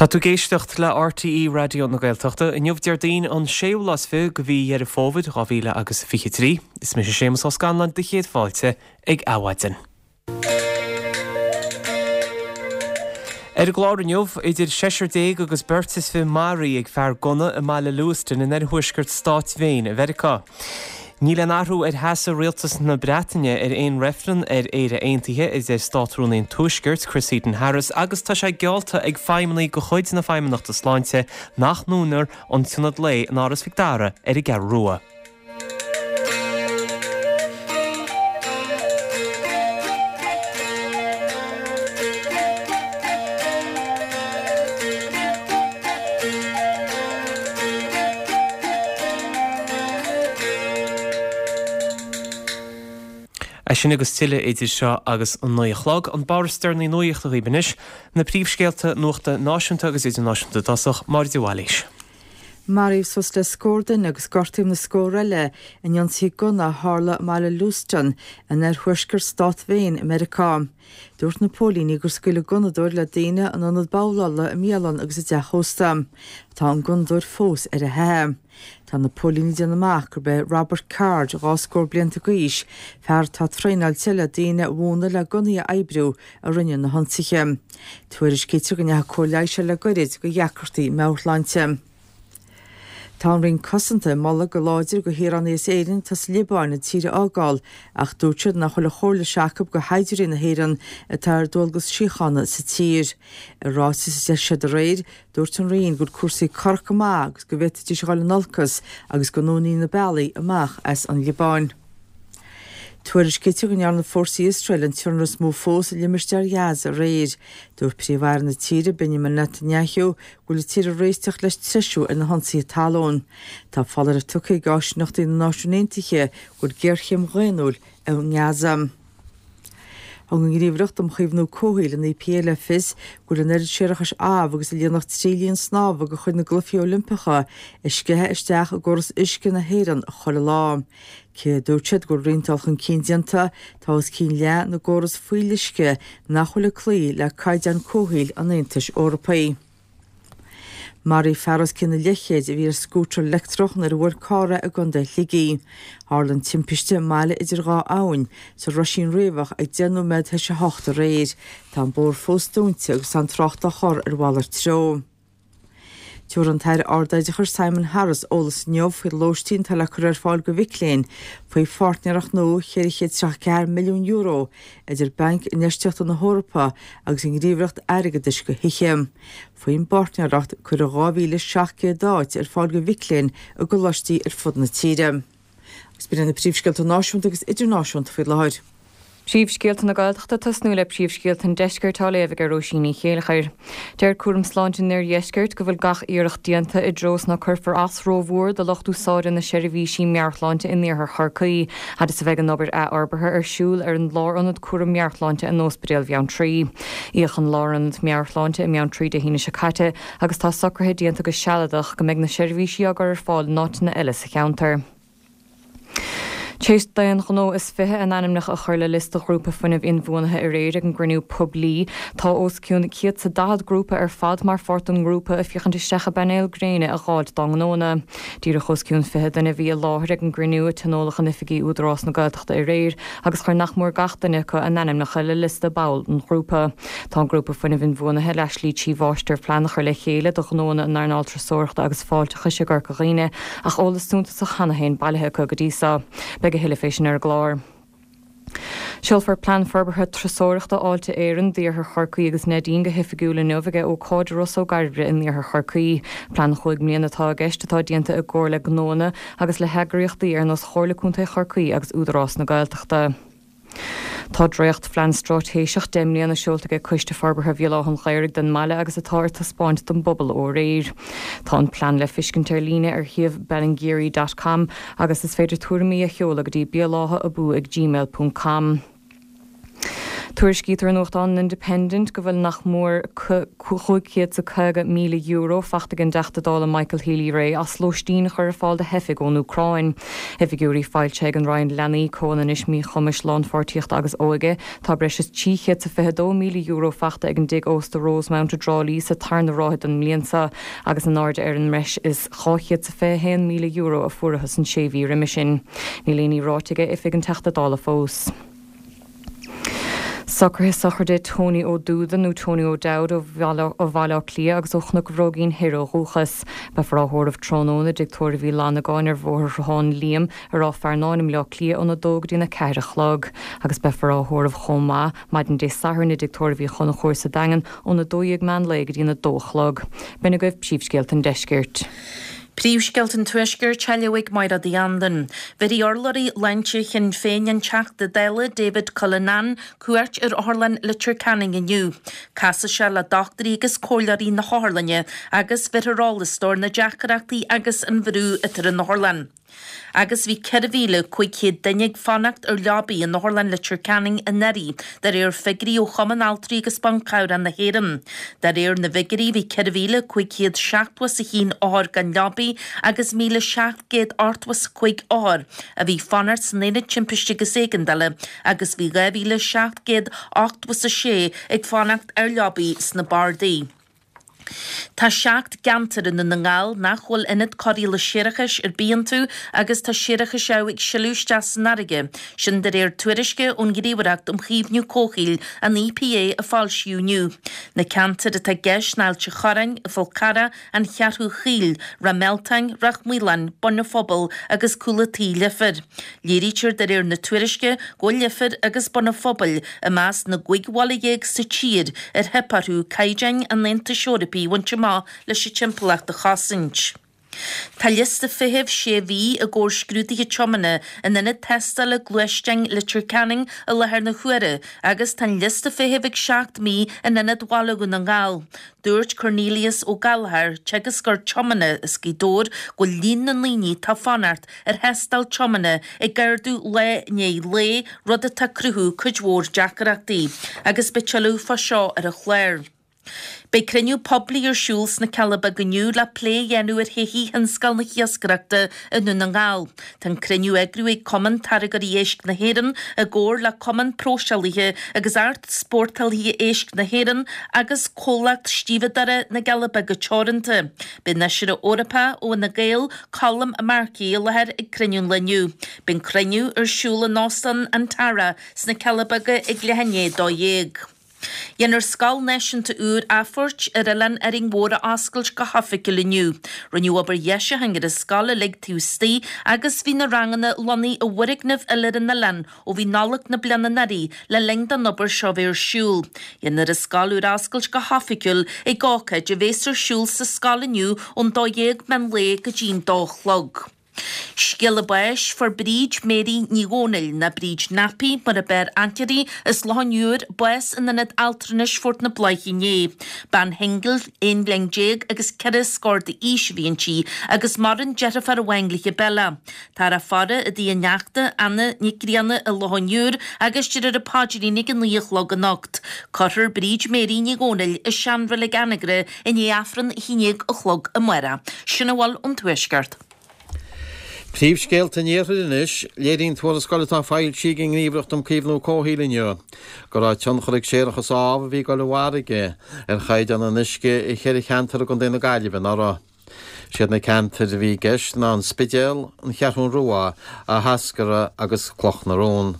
Tá tú ag éisteacht le RTÉ Raidió na Gaeltachta. Inniu Déardaoin an séú lá is fiche de mhí Dheireadh Fómhair 2023. Is mise Séamus Ó Scanláin do chéad fáilte ag Adhmhaidin. Ar an gclár inniu, idir seisear déag agus beirt is fiche maraithe ag fear gunna i mbaile Lewiston in oirthuaisceart stáit Mhaine i Mheiriceá. Níl aon athrú ar sheasamh rialtas na Breataine ar aon reifreann ar Éire Aontaithe, a deir Státrúnaí an Tuaiscirt, Chris Heaton-Harris, agus tá sé geallta ag feidhmeannaigh de chuid na Feidhmeannachta Sláinte nach ndúnfar an tIonad Lae in Áras Mhic Dara ar an gCeathrú Rua. É sin agus tuilleadh idir seo agus an 9 a chlog. An barr is deireanaí nuachta dhaoibh anois, na príomhscéalta nuachta náisiúnta agus idirnáisiúnta i dtosach, Máire de Bhailís. Maraíodh suas le scór duine agus gortaíodh na scór eile in ionsaithe gunna a tharla i mbaile Lewiston in oirthuaisceart stát Mhaine i Meiriceá. Dúirt na póilíní gur scaoil an gunnadóir le daoine in ionad babhlála, i mbialann agus i dteach ósta. Tá an gunnadóir fós ar a theitheadh. Tá na póilíní ag déanamh amach gurb é Robert Card, 2 scór blianta d'aois, fear atá traenáilte le daoine a mhúineadh le gunnaí a oibriú, a rinne na hionsaithe. Tuairiscítear go ndeachaigh cóir leighis air le goirid do dheacrachtaí meabhairshláinte. Tá an Roinn Cosanta ag moladh go láidir do shaoránaigh as Éirinn atá sa Liobáin an tír a fhágáil ach dúirt siad nach bhfuil an chomhairle seo acu do shaighdiúirí na hÉireann atá ar dualgas síochána sa tír. I ráiteas a d'eisigh siad aréir, dúirt an Roinn go bhfuil cúrsaí corrach go maith agus go bhféadfaidís a dhul in olcas agus go ndúnfaí na bealaí amach as an Liobáin. Tuairiscítear go ndearna fórsaí Iosrael an t-ionradh is mó fós i limistéar Ghaza aréir. Dúirt Príomh-Aire na tíre, Benjamin Netanyahu, go bhfuil an tír ag réiteach leis treisiú ar na hionsaithe talún. Tá foláireamh tugtha ag áisíneachtaí na Náisiún Aontaithe go bhfuil géarchéim dhaonnúil i nGaza. Thug an Ghníomhaireacht um Chaomhnú Comhshaoil, an EPA, le fios go bhfuil an oiread séarachais amh agus a líonfadh 3 linn snámha de chuid na gCluichí Oilimpeacha ag sceitheadh isteach i gcóras uisce na hÉireann chuile lá. Cé a dúirt siad go bhfuil roinnt dul chun cinn déanta, tá os cionn leath na gcóras fuíolluisce nach bhfuil ag cloí le caighdeáin comhshaoil an Aontais Eorpaigh. Maraíodh fear os cionn an leathchéid a bhí ar scútar leictreach nuair a bhuail carr é i gContae Shligigh. Tharla an timpiste i mBaile Idir Dhá Abhainn, sa Roisín Riabhach ag 10 nóiméad théis 8 aréir. Tá an bóthar fós dúnta agus tá an trácht á chur ar mhalairt treo. Tabharfaidh an tAire Ardoideachais Simon Harris eolas inniu faoi lóistín atá le cur ar fáil do mhic léinn faoi pháirtnéireacht nua €434 milliún idir Banc Infheistíochta na hEorpa agus an Ghníomhaireacht Airgeadais do Thithe. Faoin bpáirtnéireacht, cuirfear 2,700 áit ar fáil do mhic léinn i gcoláistí ar fud na tíre. Agus b'in iad na príomhscéalta náisiúnta agus idirnáisiúnta faoi láthair. Príomhscéalta na Gaeltachta Tosnú le príomhscéalta an Deiscirt á léamh ag Róisín Ní Chéilleachair. Deir Cúram Sláinte an Oirdheiscirt go bhfuil gach iarracht déanta i dtreo is ná cuirfear as rómhór do lucht úsáide na seirbhísí meabhairshláinte in iarthar Chorcaí, fhad is a bheidh an obair athfhorbartha ar siúl ar an lárionad cúram meabhairshláinte in Ospidéal Bheanntraí. Íodh an lárionad meabhairshláinte i mBeanntraí Dé haoine seo caite agus tá socruithe déanta go sealadach go mbeidh na seirbhísí á gcur ar fáil in áiteanna eile sa cheantar. Tar éis d'aon ghnó is 20 a n-ainmneacha a chur le liosta Ghrúpa Fuinnimh Inbhuanaithe aréir ag an gcruinniú poiblí, tá os cionn 140 grúpa ar fad mar pháirt den ngrúpa ag féachaint isteach i bpainéil gréine a dh'fháilt dá ngnóanna. Díreach os cionn 20 duine a bhí i láthair ag an gcruinniú a tionóladh in oifigí Údarás na Gaeltachta aréir agus chuir nach mór gach duine acu a n-ainmneacha le liosta ball an ghrúpa. Tá an Grúpa Fuinnimh Inbhuanaithe le slí 3 mháistirphlean a chur le chéile do ghnóanna in earnáil turasóireachta agus fáilteachais i gCorca Dhuibhne ach eolas suntasach cheana féin bailithe acu go dtí so. Beidh a thuilleadh fé sin ar an gclár. Seolfar Plean Forbartha Turasóireachta Fháilte Éireann d'Iarthar Chorcaí agus Neidín go hoifigiúil inniu ag ócáid i Ros Ó gCairbre in iarthar Chorcaí. Plean chúig mbliana atá i gceist atá déanta i gcomhar le gnóanna agus le heagraíochtaí ar nós Chomhairle Contae Chorcaí agus Údarás na Gaeltachta. Tá dréacht-phlean straitéiseach 10 mbliana seolta ag Coiste Forbartha Bhéal Átha an Ghaorthaidh don mbaile agus atá ar taispeáint don bpobal ó aréir. Tá an plean le fiscint ar líne ar shuíomh ballingeary dot com agus is féidir tuairimí a sheoladh go dtí béaláthaabú ag gmail ponc com. Tuairiscítear i nuachtán an Independent go bhfuil nach mór €550,000 faighte ag an dTeachta Dála Michael Healy-Rae as lóistín a chur ar fáil do theifigh ón Úcráin. I bhfigiúirí foilsithe ag an Roinn Leanaí, Comhionannais, Míchumais, Lánpháirtíochta agus Óige, tá breis is €322,000 faighte ag an dtigh ósta Rosemount i dTrá Lí sa tarna ráithe den mbliain seo agus in airde ar an mbreis is €221,000 a fuarathas an sé mhí roimhe sin. Níl aon ní ráite ag oifig an Teachta Dála fós. Socruithe sochraide Tony Ó Dúda nó Tony O'Dowd ó Bhaile Átha Cliath agus ó Chnoc an Bhróigín Thoir ó dhúchas. Beifear á thórramh tráthnóna i dTigh Tórraimh Uí Fhlannagáin ar Bhóthar Shruthán Liam i Ráth Fearnáin i mBleá Cliath óna 2 go dtí'n 4 a chlog agus beifear á thórramh chomh maith maidin Dé Sathairn i dTigh Tórraimh Uí Chonchúir sa Daingean óna 12 meán lae go dtí'n 2 a chlog. B'in agaibh príomhscéalta an deiscirt. Príomhscéalta an Tuaiscirt á léamh ag Máire Uí Anluain. Bhéarfaidh urlabhraí sláinte Shinn Féin an Teachta Dála David Cullinane cuairt ar Otharlann Leitir Ceanainn inniu. Casfaidh sé le dochtúirí agus comhairleoirí na hotharlainne agus bhéarfar eolas dó ar na deacrachtaí agus an bhrú atá ar an otharlann. Agus bhí 4,500 duine ag fanacht ar leabaí in Otharlann Leitir Ceanainn anuraidh, de réir figiúirí ó Chumann Altraí agus Ban Cabhrach na hÉireann. De réir na bhfigiúirí, bhí 4,571 othar gan leabaí agus 1,785 othar a bhí ag fanacht san Aonad Timpiste agus Éigeandála agus bhí 2,786 ag fanacht ar leabaí sna bardaí. Tá 7 gceantar i nDún na nGall nach bhfuil ionad cóireála séarachais ar bith iontu agus tá séarachas amh ag sileadh isteach san fharraige, sin de réir tuairisce ón nGníomhaireacht um Chaomhnú Comhshaoil, an EPA, a foilsíodh inniu. Na ceantair atá i gceist ná Ailt an Chorráin, An Fál Carrach, An Cheathrú Chaoil, Ráth Mealtain, Ráth Maoláin, Bun an Phobail agus Cúl an Tí, Leifear. Léirítear de réir na tuairisce go bhfuil Leifear agus Bun an Phobail i measc na gcúig bhaile dhéag sa tír ar theip orthu caighdeáin an Aontais Eorpaigh a bhaint amach leis an timpeallacht a chosaint. Tá liosta feithimh sé mhí i gcomhair scrúduithe tiomána in ionad tástála gluaisteáin Leitir Ceanainn i láthair na huaire agus tá an liosta feithimh ag 7 mí in ionad Bhaile Dhún na nGall. Dúirt Cornelius Ó Gallchóir, teagascóir tiomána as Gaoth Dobhair, go bhfuil líon na ndaoine atá ag fanacht ar thástáil tiomána ag ardú lá i ndiaidh lae, rud atá ag cruthú cuid mhór deacrachtaí. Agus beidh tuilleadh fá seo ar an chlár. Beidh cruinniú poiblí ar siúl sna Cealla Beaga inniu le plé a dhéanamh ar thodhchaí thionscal na hiascaireachta i nDún na nGall. Tá an cruinniú á eagrú ag Cumann Táirgeoirí Éisc na hÉireann i gcomhar le Cumann Próiseálaithe agus Easpórtálaithe Éisc na hÉireann agus Comhlacht Stíobhadóra na gCealla Beaga Teoranta. Beidh an Fheisire Eorpach ó Fhine Gael, Colm Markey i láthair ag cruinniú an lae inniu. Beidh an cruinniú ar siúl in Óstán Anterra sna Cealla Beaga ag leath i ndiaidh 12. Déanfar Scoil Náisiúnta úr Athphoirt ar Oileán Árainn Mhór a oscailt go hoifigiúil inniu. Rinneadh obair dheisiúcháin ar an scoil uilig taobh istigh agus bhí na ranganna lonnaithe i bhfoirgneamh eile ar an oileán ó bhí Nollaig na bliana anuraidh le linn don obair seo bheith ar siúl. Déanfar an scoil úr a oscailt go hoifigiúil ag ócáid a bhéas ar siúl sa scoil inniu ón 12 meán lae go dtí'n 2 a chlog. Scéala báis, Fuair Bríd Mary Ní Dhomhnaill, nó Bríd Nappy mar a b'fhearr aithne uirthi, as Loch an Iúir, bás in Ionad Altranais Phort na Bláiche inné. Bean shingil, 11 bhliain agus ceithre scór d'aois a bhí inti agus maireann deirfiúr amháin léi Bella. Táthar á faire i dtigh a neachta, Anna Nic Grianna i Loch an Iúir agus déarfar an paidrín ag a 9 a chlog anocht. Cuirfear Bríd Mary Ní Dhomhnaill i seanreilig Anagaire i ndiaidh Aifreann a 11 a chlog amárach. Sin a bhfuil ón Tuaisceart. Príomhscéalta an Iarthair anois. Léiríonn tuarascáil atá foilsithe ag an nGníomhaireacht um Caomhnú Comhshaoil inniu go raibh tionchar ag séarachas amh a bhí ag dul i bhfarraige ar chaighdeán an uisce i cheithre cheantar i gContae na Gaillimhe anuraidh. Siad na ceantair a bhí i gceist ná an Spidéal, an Cheathrún Rua, Áth hEascarra agus Cloch na Rón.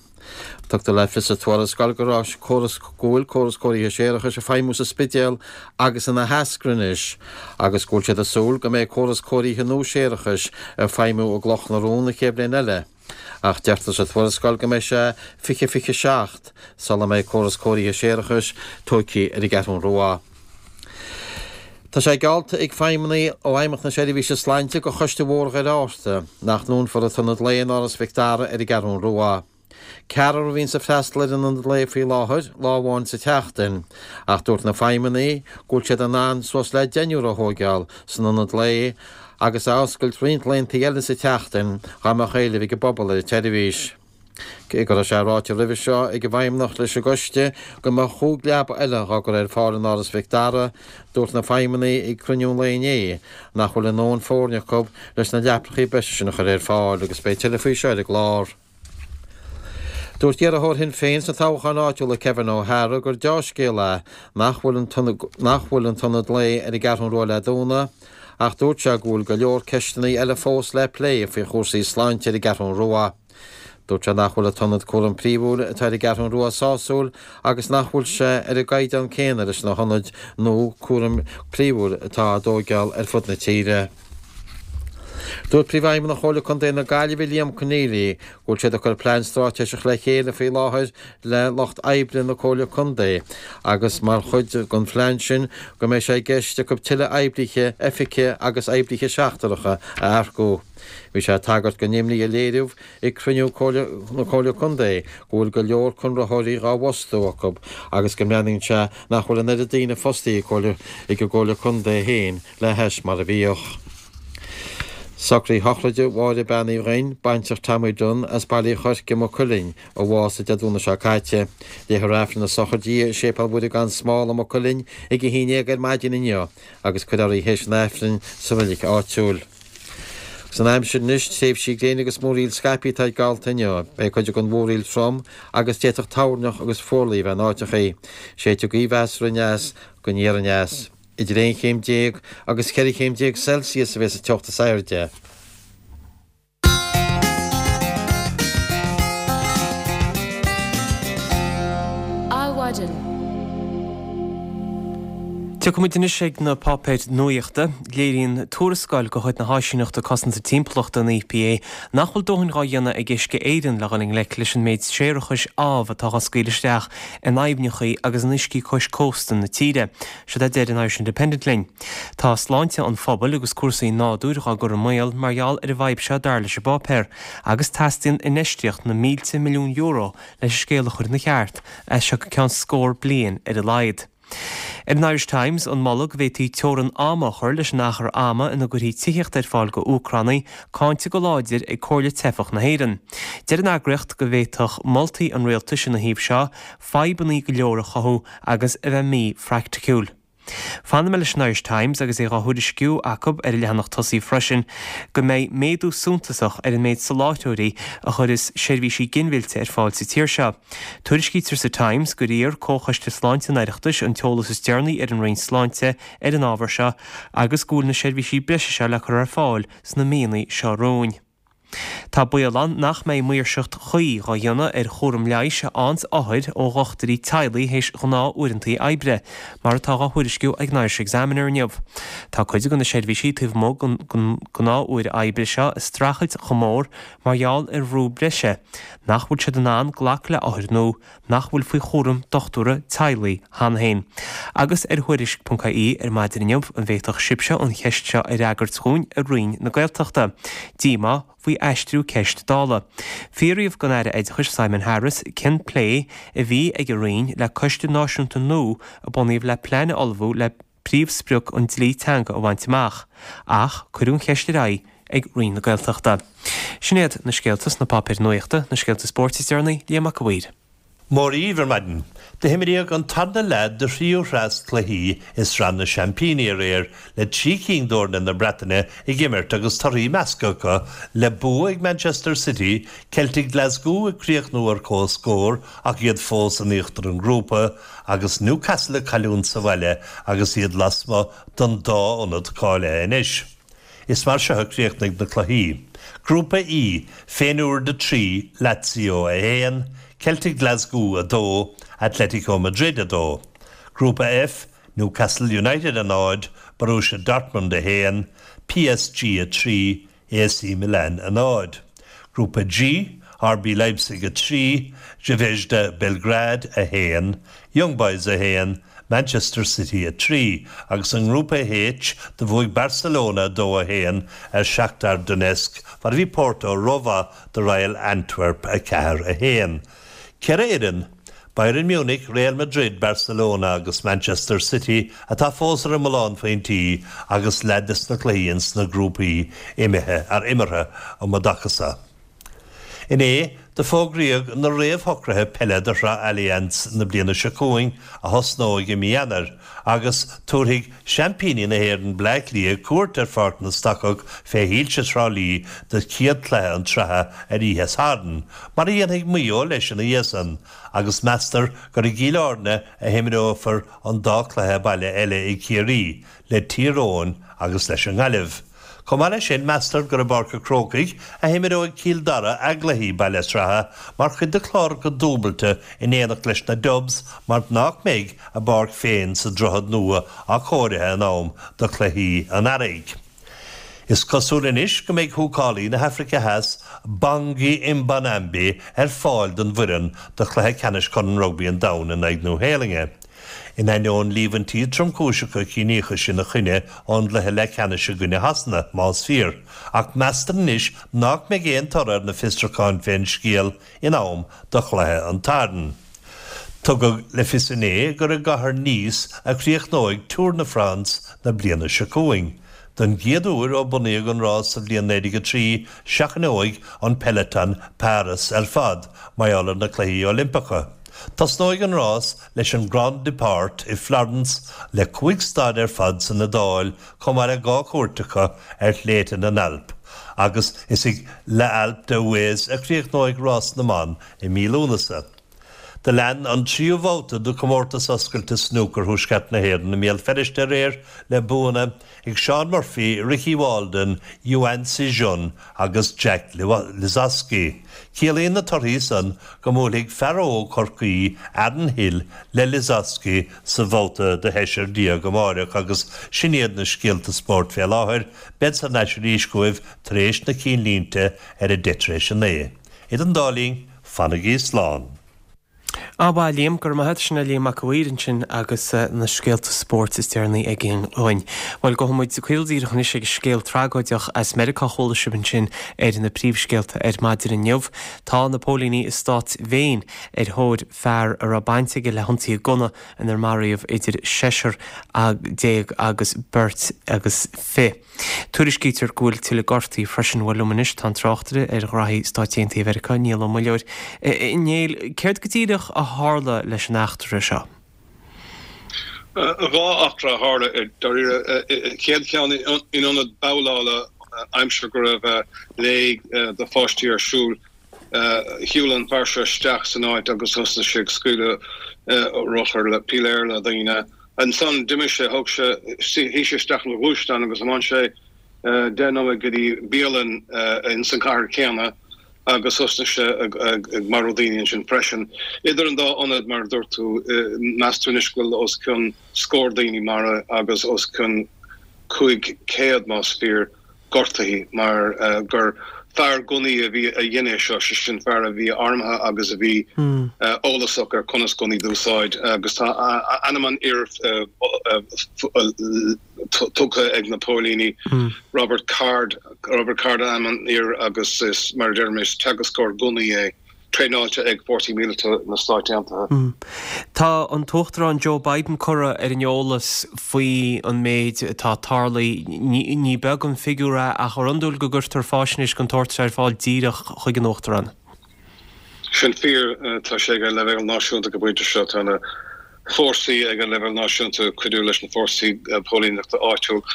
Tugtar le fios sa tuarascáil go raibh córas, go bhfuil córas cóirithe séarachais ag feidhmiú sa Spidéal agus in Áth hEascarra anois agus go bhfuil siad ag súil go mbeidh córas cóirithe nua séarachais ag feidhmiú i gCloch na Rón an chéad bhliain eile. Ach deirtear sa tuarascáil go mbeidh sé 2027 sula mbeidh córas cóirithe séarachais tógtha ar an gCeathrún Rua. Tá sé geallta ag feidhmeannaigh ó Fheidhmeannacht na Seirbhíse Sláinte do Choiste Bhóthar Dhoire Fhatharta nach ndúnfar an t-ionad lae in Áras Mhic Dara ar an gCeathrún Rua. Ceathrar a bhíonns ag freastal ar an ionad lae faoi láthair, lá amháin sa tseachtain, ach dúirt na feidhmeannaigh go bhfuil siad in ann suas le deichniúr a thóigeáil san ionad lae agus a oscailt roinnt laethanta eile sa tseachtain dá mbeadh éileamh ag an bpobal ar an tseirbhís. Cé go raibh sé ráite roimhe seo ag an bhFeidhmeannacht leis an gcoiste go mbeadh chúig leaba eile dhá gcur ar fáil in Áras Mhic Dara, dúirt na feidhmeannaigh ag cruinniú an lae inné nach bhfuil a ndóthain foirne acu leis na leapacha breise sin a chur ar fáil agus beidh tuilleadh faoi seo ar an gclár. Dúirt iarrthóir Shinn Féin sna toghcháin áitiúla Kevin O'Hara gur deá-scéal é nach bhfuil an nach bhfuil an t-ionad lae ar an gCeathrú Rua le dúnadh ach dúirt sé go bhfuil go leor ceisteanna eile fós le plé faoi chúrsaí sláinte ar an gCeathrú Rua. Dúirt sé nach bhfuil an t-ionad cúraim príomhúil atá ar an gCeathrú Rua sásúil agus nach bhfuil sé ar an gcaighdeán céanna leis na hionaid nua cúraim príomhúil atá á dtóigeáil ar fud na tíre. Dúirt Príomhfheidhmeannach Chomhairle Contae na Gaillimhe Liam Conneely go bhfuil siad ag cur plean stráiteiseach le chéile faoi láthair le lucht oibre na Comhairle Contae agus mar chuid den phlean sin go mbeidh sé i gceist acu tuilleadh oibrithe oifige agus oibrithe seachtaracha a earcú. Bhí sé ag tagairt don imní a léiríodh ag cruinniú na Comhairle Contae go bhfuil go leor conraitheoirí dhá bhfostú acu agus go mbreathnaíonn sé nach bhfuil an oiread daoine fostaithe ag an gComhairle Contae féin le hais mar a bhíodh. Socraithe shochraide Mháire Bean Uí Dhuinn, baintreach Tommy Dunne as Baile Uí Choirce, Maigh Cuilinn, a bhásaigh Dé Domhnaigh seo caite. Léifear Aifreann na sochraide di i Séipéal Mhuire gan Smál i Maigh Cuilinn ag a 11 ar maidin inniu agus cuirfear í théis an Aifrinn sa reilig áitiúil. Agus an aimsir anois, tréimhsí gréine agus múraíl scaipthe atá geallta inniu. Beidh cuid den mhúraíl trom agus d'fhéadfadh toirneach agus fuarlaigh a bheith in áiteachaí. Séidfidh gaoth mheasartha aneas go aniar aneas. Idir 11 chéim agus 14 chéim Celsius a bheas an teocht is airde. Adhmhaidin. Tiocfaimid anois ag na páipéir nuachta. Léiríonn tuarascáil de chuid na hÁisíneachta Cosanta Timpeallachta, an EPA, nach bhfuil dóthain dhá dhéanamh ag Uisce Éireann le dhul i ngleic leis an méid séarachais amh atá dhá scaoileadh isteach in aibhneacha agus in uiscí cois cósta na tíre. Siod é a deir an Irish Independent linn. Tá sláinte an phobail agus cúrsaí nádúir dhá gcur i mbaol mar gheall ar an bhfadhb seo dar leis an bpáipéar, agus teastaíonn infheistíocht na mílte milliún euro leis an scéal a chur ina cheart as seo go ceann scór bliain ar a laghad. Ar an Irish Times, an moladh go bhféadfaí teorainn ama a chur leis an achar ama ina gcuirfí tithíocht ar fáil go Úcránaigh cáinte go láidir ag Comhairle Teifeach na hÉireann. Deir an eagraíocht go bhféadfadh moltaí an rialtais ina thaobh seo fadhbanna go leor a chothú agus a bheith mí-phraiticiúil. Fanfaidh mé leis an Irish Times agus é dhá thuairisciú acu ar a leathanach tosaigh freisin go mbeidh méadú suntasach ar an méid soláthróirí a chuireas seirbhísí ginmhillte ar fáil sa tír seo. Tuairiscítear sa Times gur iarr Comhchoiste Sláinte an Oireachtais an t-eolas is deireanaí ar an Roinn Sláinte ar an ábhar seo agus go bhfuil na seirbhísí breise seo le cur ar fáil sna míonna seo romhainn. Tá baol ann nach mbeidh maoirseacht chuí dhá dhéanamh ar chúram leighis a fhaigheanns othair ó dhochtúirí teaghlaigh théis ghnáth-uaireantaí oibre, mar atá dhá thuairisciú ag an Irish Examiner inniu. Tá cuid de na seirbhísí taobh amuigh den gnáth-uair oibre seo ag streachailt chomh mór mar gheall ar bhrú breise nach bhfuil siad in ann glacadh le othair nua nach bhfuil faoi chúram dochtúra teaghlaigh cheana féin. Agus ar Thuairisc ponc ie ar maidin inniu, an bhféadfadh sibhse an cheist seo a fhreagairt dhúinn a Roinn na Gaeltachta? Díomá faoi aistriú ceist Dála. Fiafraíodh den Aire Oideachais Simon Harris cén plé a bhí ag a Roinn le coiste náisiúnta nua a bunaíodh le plean a ullmhú le príomhsprioc an dlí teanga a bhaint amach, ach cuireadh an cheist ar aghaidh ag Roinn na Gaeltachta. Sin iad na scéalta sna páipéir nuachta, na scéalta spóirt is deireanaí, Liam Mac a' Mhaoir. Mora dhaoibh ar maidin. Do himríodh an tarna leath de thríú threas cluichí i Sraith na Seaimpíní aréir le 3 cinn d'fhoirne na Breataine ag imirt agus torthaí measctha acu le bua ag Manchester City, Celtic Glasgow ag críochnú ar comhscór ach iad fós in íochtar an ghrúpa, agus Newcastle ag cailliúint sa bhaile agus iad lasmuigh den dá ionad cáilithe anois. Is mar seo a chríochnaigh na cluichí. Grúpa E, Feyenoord 3, Lazio 1, Celtic Glasgow 2, Atletico Madrid 2. Grúpa F, Newcastle United 0, Borussia Dortmund 1, PSG 3, AC Milan 0. Grúpa G, RB Leipzig 3, Zvezda Belgrade 1, Young Boys 1, Manchester City 3, agus i nGrúpa H do bhuaigh Barcelona 2, 1 ar Shakhtar Donetsk mar a bhí Porto rómhaith do Royal Antwerp 4, 1. 4 fhoireann, Bayern Munich, Real Madrid, Barcelona agus Manchester City atá fós ar an mbullán phointí agus leath des na cluichí ins na grúpaí imithe, ar imeartha um an dtaca so. Inné, do. Do fógraíodh na réamhshocruithe peile do Shraith Allianz na bliana seo chugainn a thosnóidh i mí Eanáir agus tabharfaidh seaimpíní na hÉireann Bleá Cliath cuairt ar Pháirc na Stocach fé shoilse Thrá Lí do chéad chluiche an tsraithe ar oíche Shathairn, mar a dhéanfaidh Maigh Eo leis ina dhiaidh san, agus meastar gur i gCill Airne a himreofar an dá chluiche baile eile ag Ciarraí, le Tír Eoghain agus leis an nGaillimh. Chomh maith leis sin, meastar gur i bPáirc an Chrócaigh a himreoidh Cill Dara a gcluichí baile sraithe mar chuid de chlár acu dúbailte in éineacht leis na Dubs mar nach mbeidh a bpáirc féin sa Droichead Nua athchóirithe in am do chluichí an earraigh. Is cosúil anois go mbeidh húcálaí na hAfraice Theas, Bongi Mbonambi, ar fáil don bhfoireann do chluiche ceannais Chorn Rugbaí an Domhain in aghaidh Nua-Shéalainne. In ainneoin líomhaintí tromchúiseacha ciníochais ina choinne ón gcluiche leathcheannais i gcoinne Shasana, más fíor, ach meastar anois nach mbeidh aon toradh ar na fiosrúcháin fén scéal in am do chluiche an tSathairn. Tugadh le fios inné gur i gcathair Nice a chríochnóidh Tour na France na bliana seo chugainn. Don gcéad uair ó bunaíodh an rás sa bhliain 1903, seachnóidh an peloton Páras ar fad mar gheall ar na Cluichí Oilimpeacha. Tosnóidh an rás leis an Grand Départ i Florence le 5 stad ar fad san Iodáil chomh maith le 2 chuairt acu ar shléibhte na nAlp agus is ag L'Alpe d'Huez a chríochnóidh rás na mban i mí Lúnasa. Do lean an tríú babhta de Chomórtas Oscailte Snúcair Thuaisceart na hÉireann i mBéal Feirste aréir le buanna ag Seán Murphy, Ricky Walden, Yuan Sijun agus Jack Lisowski. Ciallaíonn na torthaí san go mbuailfidh fear óg Chorcaí, Aaron Hill, le Lisowski sa bhabhta do sheisear déag amáireach agus sin iad na scéalta spóirt fé láthair. Bead thar n-ais arís chugaibh tar éis na cinnlínte ar a deich tar éis a naoi. Idir an dá linn, Fanaigí slán. Á mhaith Liam, go raibh maith agat. Sin é Liam Mac a' Mhaoir ansin agus na scéalta spóirt is deireanaí aige dhúinn. Bhuel, gabhfaidh muid caol díreach anois ag scéal tragóideach as Meiriceá a chuala sibh ansin ar na príomhscéalta ar maidin inniu. Tá na póilíní i stát Mhaine ar thóir fear a raibh baint aige le hionsaithe gunna inar maraíodh idir seisear déag agus beirt agus fi. Tuairiscítear go bhfuil tuilleadh gortaithe freisin. Bhuel, liom anois tá an tráchtaire ar ghraithí Stáit Aontaithe Mheiriceá, Niall Ó Muilleoir. A Néill, céard go díreach a tharla leis an eachtra seo? Dhá eachtra a tharla i dáiríre. Chéad cheann in ionad babhlála aimsir go raibh léig do pháistí ar siúl. Shiúil an fear seo isteach san áit agus thosnaigh sé ag scaoileadh rothar le piléar le daoine. Ansan d'imigh sé, thug sé, shuigh sé isteach ina ghluaisteán agus thiomáin sé 10 nóiméad go dtí bialann ins an chathair céanna agus thosnaigh sé ag marú daoine ansin freisin. Idir an dá ionad, mar a dúirt tú, meastar anois go bhfuil os cionn scór daoine maraithe agus os cionn 500, más fíor, gortaithe mar gur fear gunnaí a bhí a dhein é seo, sé sin fear a bhí armtha agus a bhí eolasach ar conas gunnaí d'úsáid agus tá ainm an fhir tugtha ag na póilíní, Robert Card, Robert Card ainm an fhir agus is, mar a deirim, is teagascóir gunnaí é. traenáilte ag Fórsaí Míleata na Stáit Aontaithe. Tá an tUachtarán Joe Biden curtha ar an eolas faoi an méid atá tarlaithe. Ní beag an figiúr é ach ar iondúil go gcuirtear faisnéis den tsórt seo ar fáil díreach chuig an Uachtarán. Sin fíor. Tá sé ag an leibhéal náisiúnta go pointe seo. Tá na fórsaí ag an leibhéal náisiúnta ag cuidiú leis na fórsaí póilíneachta áitiúil.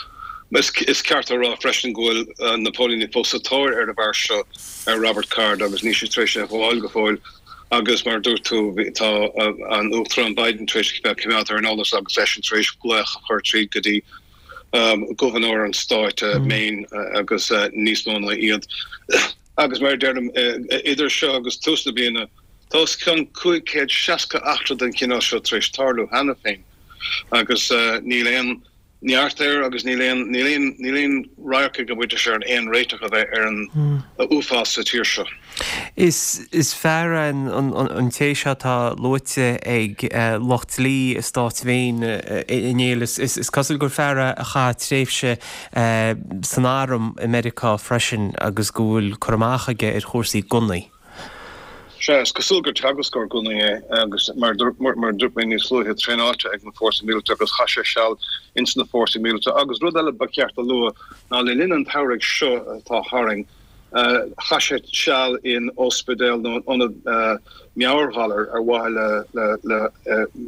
Is ceart a rá freisin go bhfuil na póilíní fós sa tóir ar an bhfear seo, ar Robert Card, agus níl siad tar éis é a ghabháil go fóill. Agus mar a dúirt tú, tá an Uachtarán Biden tar éis bheith coimeádta ar an eolas agus eisean tar éis glaoch a chur tríd go dtí Gobharnóir an stáit, Maine, agus níos mó ná iad. Agus mar a deirim, idir seo agus tús na bliana, tá os cionn 560 eachtra den chineál seo tar éis tarlú cheana féin agus níl aon neart air agus níl aon, níl aon, níl aon radharc ag an bpointe seo ar aon réiteach a bheith ar an uafás sa tír seo. Is, is fear é an, an, an té seo atá luaite ag lucht dlí i stát Mhaine, a Néill. Is, is, is cosúil gur fear é a chaith tréimhse san arm i Meiriceá freisin agus go bhfuil cur amach aige ar chúrsaí gunnaí. Sea, is cosúil gur teagascóir gunnaí é agus mar a dúirt mé níos luaithe, traenáilte ag na fórsaí míleata agus chaith sé seal ins na fórsaí míleata. Agus rud eile ba cheart a lua ná le linn an tsamhraidh seo atá tharainn. Chaith sé seal in ospidéal nó in ionad meabhairghalar ar mhaithe le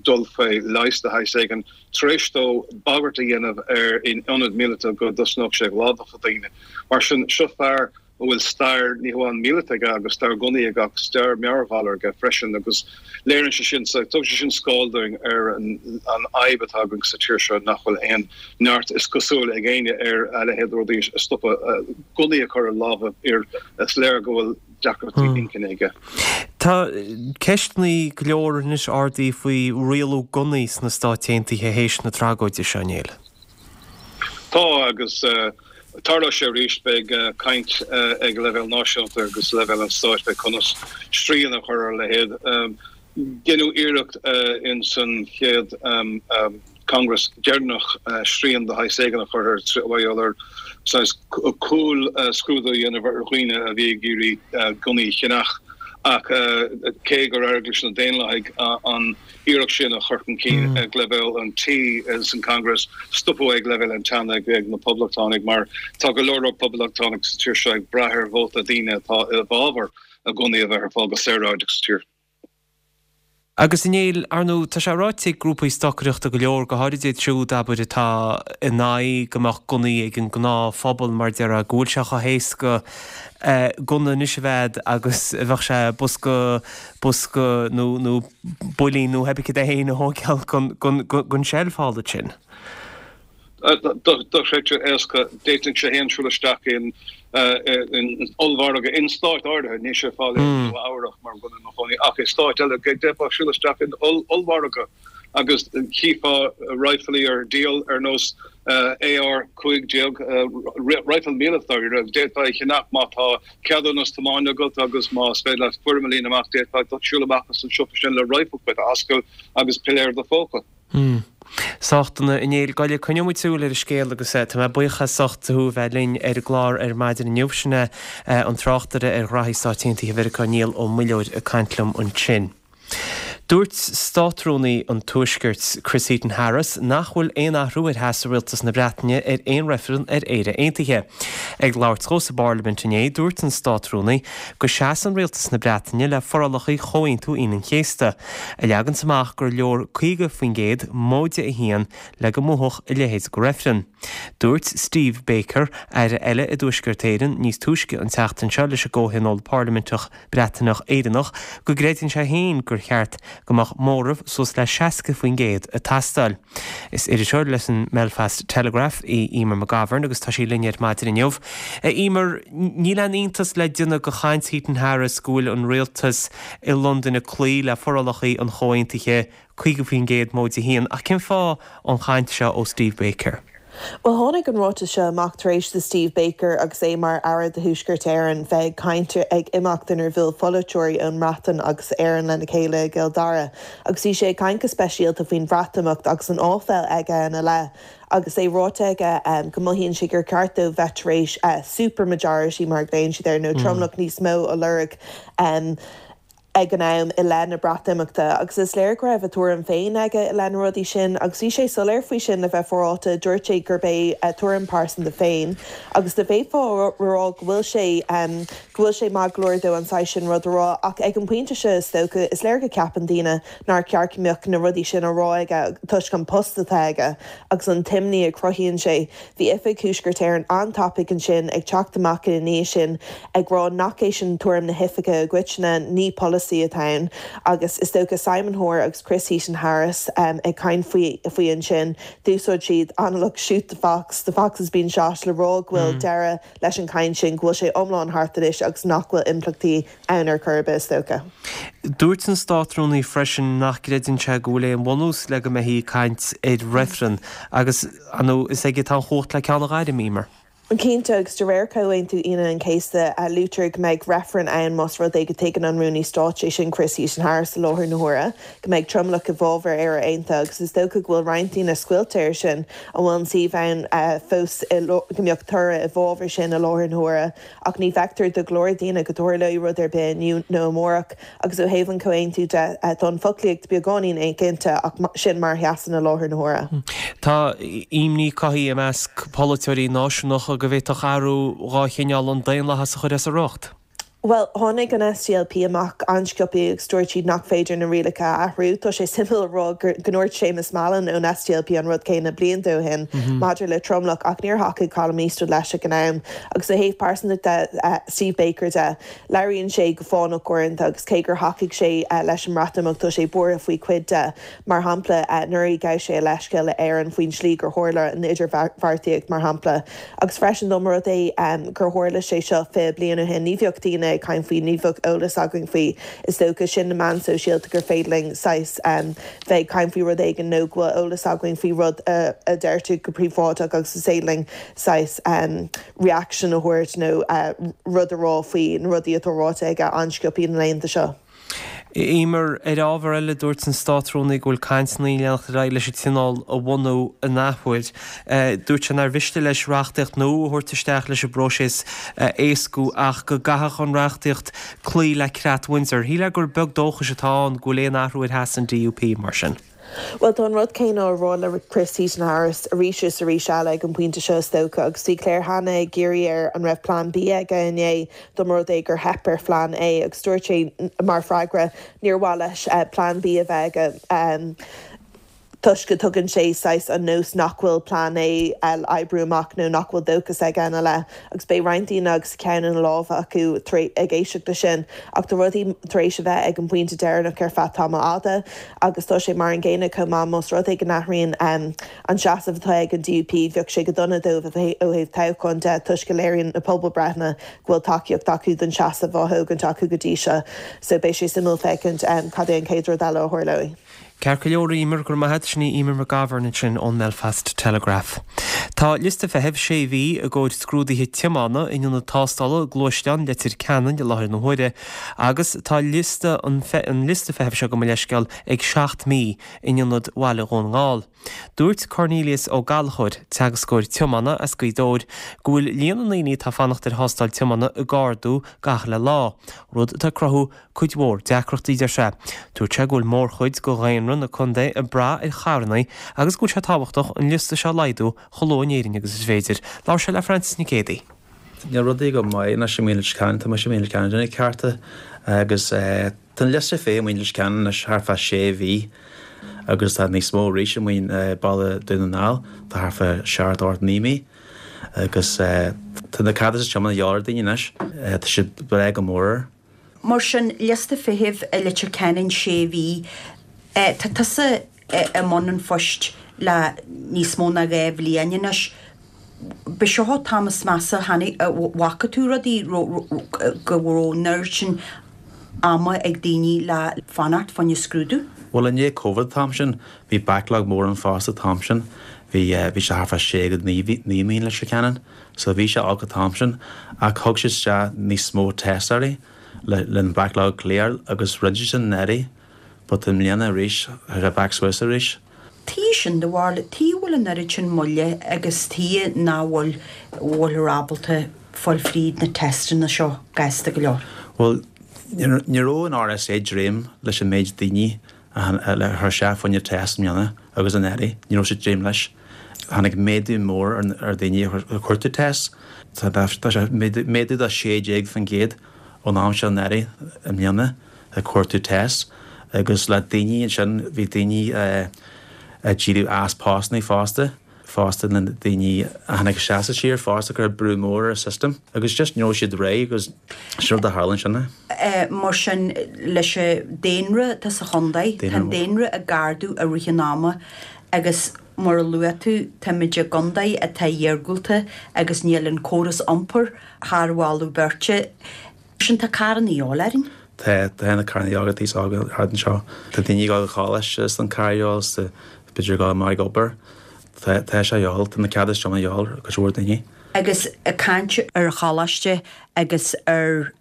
dul faoi leigheas de shaghas éigin tar éis dó bagairt a dhéanamh ar in ionad míleata go dtosnódh sé ag lámhachadh daoine. Mar sin, seo fear a bhfuil stair ní hamháin míleata aige agus stair gunnaí aige ach stair meabhairghalar aige freisin agus léiríonn sé sin, tugann sé sin scáil dúinn ar an fhadhb atá againn sa tír seo nach bhfuil aon neart is cosúil ag éinne ar a leithéid de rudaí a stopadh, gunnaí a chur i lámha fir is léir go bhfuil deacrachtaí inchinne aige. Tá ceisteanna go leor anois ardaithe faoi rialú gunnaí sna Stáit Aontaithe théis na tragóide seo, a Néill. Tá, agus tarlóidh sé arís. Beidh caint ag leibhéal náisiúnta agus leibhéal an stáit fé conas srian a chur ar a leithéid. Deineadh iarracht in san chéad Congress deireanach srian de shaghas éigin a chur ar mar gheall ar saghas cúl scrúdú a dhéanamh ar dhaoine a bhí ag iarraidh gunnaí a cheannach ach cé gur éirigh leis na Daonlathaigh an iarracht sin a chur chun cinn ag leibhéal an Tí san Congress, stopadh ag leibhéal an tSeanaid ag na Poblachtánaigh mar tá go leor leor Poblachtánach sa tír seo ag brath ar vóta daoine atá i bhfabhar a gunnaí a bheith ar fáil go saoráideach sa tír. Agus a Néill, ar ndóigh, tá sé ráite ag grúpaí stocaireachta go leor, go háirid iad siúd, abair, atá in aghaidh go mbeadh gunnaí ag an ngnáthphobal, mar a déarfá, go bhfuil sé chomh héasca gunna anois a bheith a'd agus a bheadh sé bosca, bosca nó, nó builín nó pé ar bith cad é féin a thóigeáil gon tseilf thall ansin. Dochreidte éasca. D'fhéadfainnse féin siúl isteach in ollmhargadh in stáit áirithe, níl sé ar fáil i Nua Eabhrach mar go bhfuil mé i mo chónaí, ach i stáit eile d'fhéadfá siúl isteach in ollmhargadh agus chífeá raidhfilí ar díol ar nós AR 15, raidhfil míleata dáiríre, d'fhéadfá é a cheannach má tá ceadúnas tiomána agat agus más féidir leat foirm a líonadh amach, d'fhéadfá siúl amach as an siopa sin le raidhfil dhuit a ascaill agus piléar i do phóca. Hmm. Sách dona, a Néill. Gabh i leith, coinneoidh muid súil ar an scéal agus tá mé buíoch as ucht thú a bheith linn ar an gclár ar maidin inniu. Sin é an tráchtaire ar ghraithí Stáit Aontaithe Mheiriceá, Niall Ó Muilleoir, ag caint liom ansin. Dúirt Státrúnaí an Tuaiscirt, Chris Heaton-Harris, nach bhfuil aon athrú ar sheasamh Rialtas na Breataine ar aon reifreann ar Éire Aontaithe. Ag labhairt dhó sa bParlaimint inné, dúirt an Státrúnaí go seasann Rialtas na Breataine le forálacha Chomhaontú Aoine an Chéasta, a leaganns amach gur leor 50% móide a haon le go mbuafadh a leithéid de reifreann. Dúirt Steve Baker, aire eile i dTuaisceart Éireann, níos túisce an tseachtain seo leis an gComhthionól Parlaiminteach Breataineach Éireannach go gcreideann sé féin gur cheart go mbeadh móramh suas le 60% ag teastáil. Is iriseoir leis an mBelfast Telegraph í Eimear McGovern agus tá sí linn ar maidin inniu. A Eimear, níl aon iontas le déanamh de chaint Heaton Harris go bhfuil an rialtas i Londain ag cloí le forálacha an chomhaontaithe 50% móide 1. Ach cén fáth an chaint seo ó Steve Baker? Bhuel, tháinig an ráiteas seo amach tar éis do Steve Baker agus é mar Aire do Thuaisceart Éireann bheith ag caint ag imeacht inar bhuail polaiteoirí ón mBreatain agus Éirinn lena chéile i gCill Dara agus bhí sé ag caint go speisialta faoin Bhreatimeacht agus an áiféil aige ina leith agus é ráite aige go mothaíonn sé gur ceart dóibh bheith tar éis super majority mar a ghlaonn siad air nó tromlach níos mó a lorg ag an am i leith na Breatimeachta agus is léir go raibh a thuairim féin aige i leith na rudaí sin agus bhí sé soiléir faoi sin le bheith féaráilte, dúirt sé gurb é a thuairim pearsanta féin agus d'fhéadfá a rá go bhfuil sé go bhfuil sé maith go leor dó an saghas sin rud a rá ach ag an bpointe seo is dócha is léir go ceapann daoine nár cheart go mbeadh na rudaí sin á rá aige toisc an post atá aige agus an t-imní a chruthaíonn sé. Bhí Oifig Thuaisceart Éireann an-tapaidh ansin ag teacht amach ina ndiaidh sin ag rá nach é sin tuairim na hoifige i gcoitinne, ní polasaí atá ann. Agus is dócha Simon Hoare agus Chris Heaton-Harris ag caint faoi faoi ansin, d'úsáid siad analach shoot the fox, the fox has been shot le rá go bhfuil deireadh leis an chaint sin, go bhfuil sé iomlán thart anois agus nach bhfuil impleachtaí ann ar chor ar bith, is dócha. Dúirt an Státrúnaí freisin nach gcreideann sé go bhfuil aon bhunús le go mbeifí ag caint ar reifreann agus, ar ndóigh, is aige atá an chumhacht le ceann a ghairm, Emer. Cinnte, agus de réir Chomhaontú Aoine an Chéasta, luaitear go mbeidh reifreann ann más rud é go dtuigeann an Rúnaí Stáit, sé sin Chris Heaton-Harris i láthair na huaire, go mbeidh tromlach i bhfabhar Éire Aontaithe agus is dócha go bhfuil roinnt daoine scoilte air sin, an bhfuil an suíomh ann fós go mbeadh toradh i bhfabhar sin i láthair na huaire. Ach ní fheictear do go leor daoine go dtarlóidh rud ar bith inniu nó amárach, agus ó thaobh an chomhaontú de, tá an foclaíocht beagáinín éiginnte, ach sin mar a sheasann i láthair na huaire. Tá imní cothaithe i measc polaiteoirí náisiúnacha. dócha go bhféadfadh athrú dhá chineál an daonlathas a chur as a riocht. Bhuel, tháinig an SDLP amach an-sciobtha agus dúirt siad nach féidir na rialacha a athrú. Tá sé suimiúil a rá go ndúirt Séamus Mallon ón SDLP an rud céanna blianta ó shin maidir le tromlach ach níor thacaigh Colum Eastwood leis ag an am. Agus ó thaobh pearsanta de, Steve Baker de, labhraíonn sé go fánach uaireanta agus cé gur thacaigh sé leis an mBreatimeacht tá sé buartha faoi chuid de. Mar shampla, anuraidh ghabh sé a leithscéal le Éirinn faoin slí gur tharla an idirbheartaíocht, mar shampla. Agus freisin, dá mba rud é gur tharla sé seo 20 bliain ó shin, ní bheadh daoine ag caint faoi, ní bheadh eolas againn faoi. Is dócha, sin na meáin sóisialta gur féidir linn saghas bheith ag caint faoi rud éigin nó go bhfuil eolas againn faoi rud a deirtear go príobháideach agus is féidir linn saghas reaction a thabhairt nó rud a rá faoi na rudaí atá ráite aige an-sciobtha na laethanta seo. Emer, ar ábhar eile, dúirt an Státrúnaí go bhfuil cainteanna ag leanacht ar aghaidh leis an Tionól a bhunú an athuair. Dúirt sé nár mhiste leis reachtaíocht nua a thabhairt isteach leis an bpróiseas a éascú ach go gcaithfeadh an reachtaíocht cloí le Creat Windsor. Shílfeá gur beag dóchais atá ann go bhfuil aon athrú ar sheasamh an DUP mar sin. Bhuel, tá an rud céanna á rá le Chris Heaton-Harris arís is arís eile ag an bpointe seo is dócha, agus bhí Claire Hanna ag iarraidh air an raibh Plean B aige inné dá mba rud é gur theip ar Phlean A agus dúirt sé mar freagra níor mhaith leis Plean B a bheith aige toisc go dtugann sé saghas an nós nach bhfuil Plean A le oibriú amach nó nach bhfuil dóchas aige ina leith agus beidh roinnt daoine agus a ceann ina lámha acu ag éisteacht leis sin ach tá rudaí tar éis a bheith ag an bpointe deireanach ar feadh tamall fhada. Agus tá sé mar an gcéanna chomh maith, más rud é go n-athraíonn an seasamh atá ag an DUP, bheadh sé go dona dóibh ó thaobh toghcháin de toisc go léiríonn na pobalbreitheanna go bhfuil tacaíocht acu don seasamh á thógaint acu go dtí seo. So beidh sé suimiúil féachaint cad é an chéad rud eile a tharlóidh. Ceart go leor, Emer, go raibh maith agat. Sin í Emer McGovern ansin ón mBelfast Telegraph. Tá liosta feithimh sé mhí i gcomhair scrúduithe tiomána in ionad tástála gluaisteán Leitir Ceanainn i láthair na huaire Agus tá liosta an liosta feithimh seo gabh mo leithscéal ag 7 mí in ionad Bhaile Dhún na nGall. Dúirt Cornelius Ó Gallchóir, teagascóir tiomána as Gaoth Dobhair, go bhfuil líon na ndaoine atá ag fanacht ar thástáil tiomána ag ardú gach uile lá, rud atá ag cruthú cuid mhór deacrachtaí, deir sé. Dúirt sé go bhfuil mórchuid de dhaonra na contae ag brath ar charranna agus go bhfuil sé tábhachtach an liosta seo a laghdú chomh luath in Éirinn agus is féidir. Labhair sé le Frances Nic Géadaigh. Níl rudaí go maith anois i Leitir Ceanainn, tá mise i Leitir Ceanainn ag cearta agus tá an liosta feithimh i Leitir Ceanainn anois thart fá sé mhí agus tá níos mó arís i Baile Dún na nGall, tá thart fá seacht, 8, 9 mí agus tá na ceadúnais tiomána de dhíobháil ar daoine anois, tá siad ag brath go mór air. Mar sin, liosta feithimh i Leitir Ceanainn sé mhí, tá tusa i mbun an phoist le níos mó ná 2 bhliain anois. B'é seo an t-am is measa a chonaic, a bhfaca tú rudaí go raibh an oiread sin ama ag daoine le fanacht fá choinne scrúdú? Bhuel, i ndiaidh Covid an t-am sin, bhí backlog mór ann fosta an t-am sin. Bhí, bhí sé thart fá sé go 9 mí in Leitir Ceanainn. So bhí sé olc an t-am sin ach thug siad isteach níos mó tástáirí le le an backlog a clear agus rinne siad sin anuraidh but i mbliana arís tá sé back suas arís. Tuige sin do bharúil, tuige a bhfuil an oiread sin moille agus tuige nach bhfuil bhfuilthear ábalta fáil fríd na teisteanna seo gasta go leor? Bhuel ní raibh an RSA ag dréim leis an méid daoine a chuir isteach fá choinne test i mbliana agus anuraidh, ní raibh siad ag dréim leis. Tháinig méadú mór ar dhaoine a chuartú test. Tá sé méadú de 16% ón am seo anuraidh i mbliana ag cuartú test agus le daoine ansin bhí daoine ag éirí as postanna fosta. fosta na daoine a tháinig isteach sa tír fosta cuireadh brú mór ar an system agus just ní raibh siad réidh agus sin rud a tharla ansin. Mar sin leis an daonra atá sa chontae, tá an daonra ag ardú i rith an ama agus mar a luaigh tú táimid i gcontae atá iargúlta agus níl an córas iompair thar mholadh beirte. Sin tá carranna de dhíobháil orainn. Tá, tá na carranna de dhíobháil ag aos óg thart anseo. Tá daoine ag dul go coláiste is tá an carr de dhíobháil is tá b'fhéidir ag dul amach ag obair. Tá, tá sé de dhíobháil, tá na ceadúnais tiomána de dhíobháil ar cuid mhór daoine. Agus ag caint ar choláiste agus ar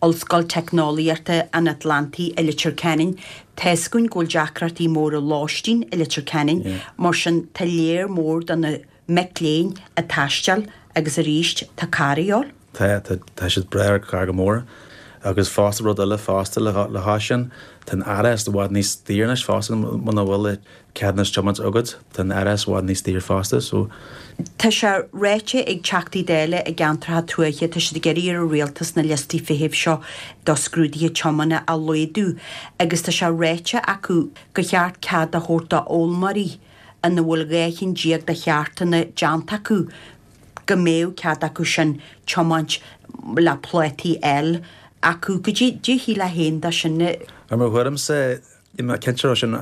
Ollscoil Teicneolaíochta an Atlantaigh i Leitir Ceanainn, tá's againn go bhfuil deacrachtaí móra lóistín i Leitir Ceanainn, mar sin tá léar mór do na mic léinn ag taisteal agus arís tá carr a dhíobháil. Tá, tá, tá siad ag brath ar carr go mór. Agus fosta rud eile fosta le le sin, tá an árachas i bhfad níos daoire anois fosta muna bhfuil ceadúnas tiomáint agat, tá an árachas i bhfad níos daoire fosta so. Tá sé ráite ag Teachtaí Dála i gceantracha tuaithe, tá siad ag iarraidh ar an Rialtas na liostaí feithimh seo do scrúduithe tiomána a laghdú agus tá sé ráite acu gur cheart cead a thabhairt do fhoghlaimeoirí ina bhfuil 12 cheann de cheártanna déanta acu go mbeadh cead acu sin tiomáint le plátaí L acu. Goidé a shílfeá féin de sin? Ar mo thuairimse, níl mé cinnte raibh sin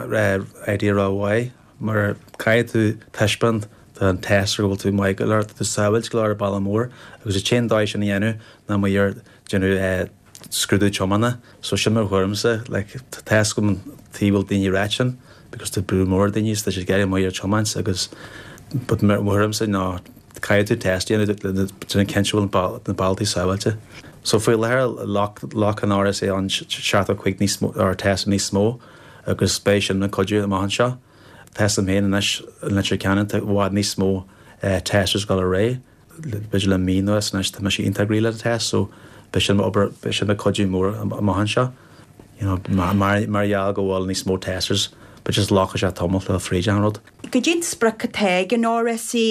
idea ró-mhaith mar caithfidh tú taispeáint don tester go bhfuil tú maith go leor, tá tú sábháilte go leor ar an bealach mór agus an t-aon dóigh sin a dhéanamh ná mar ar déanamh scrúdú tiomána. So sin mo thuairimse, like tá fhios agam an tuige bhfuil daoine ag ráit sin because tá brú mór ar daoine is tá siad ag éirí amuigh ar tiomáint agus but mo thuairimse ná caithfidh tú test a dhéanamh le déanamh cinnte go bhfuil na bealtaí sábháilte. So faoi láthair ghlac an RSA an 75 níos mó or test níos mó agus beidh sin ina cuidiú amach anseo. Tá fhios agam féin anois i Leitir Ceanainn tá i bhfad níos mó testers ag dul ar aghaidh. b'fhéidir le mí anuas anois tá mise iontach réidh le test so beidh sin obair beidh sin ina cuidiú mór amach anseo you know mar mar gheall go bhfuil níos mó testers but just glacfaidh sé tamall le fríd an rud. Goidé an sprioc atá ag an RSA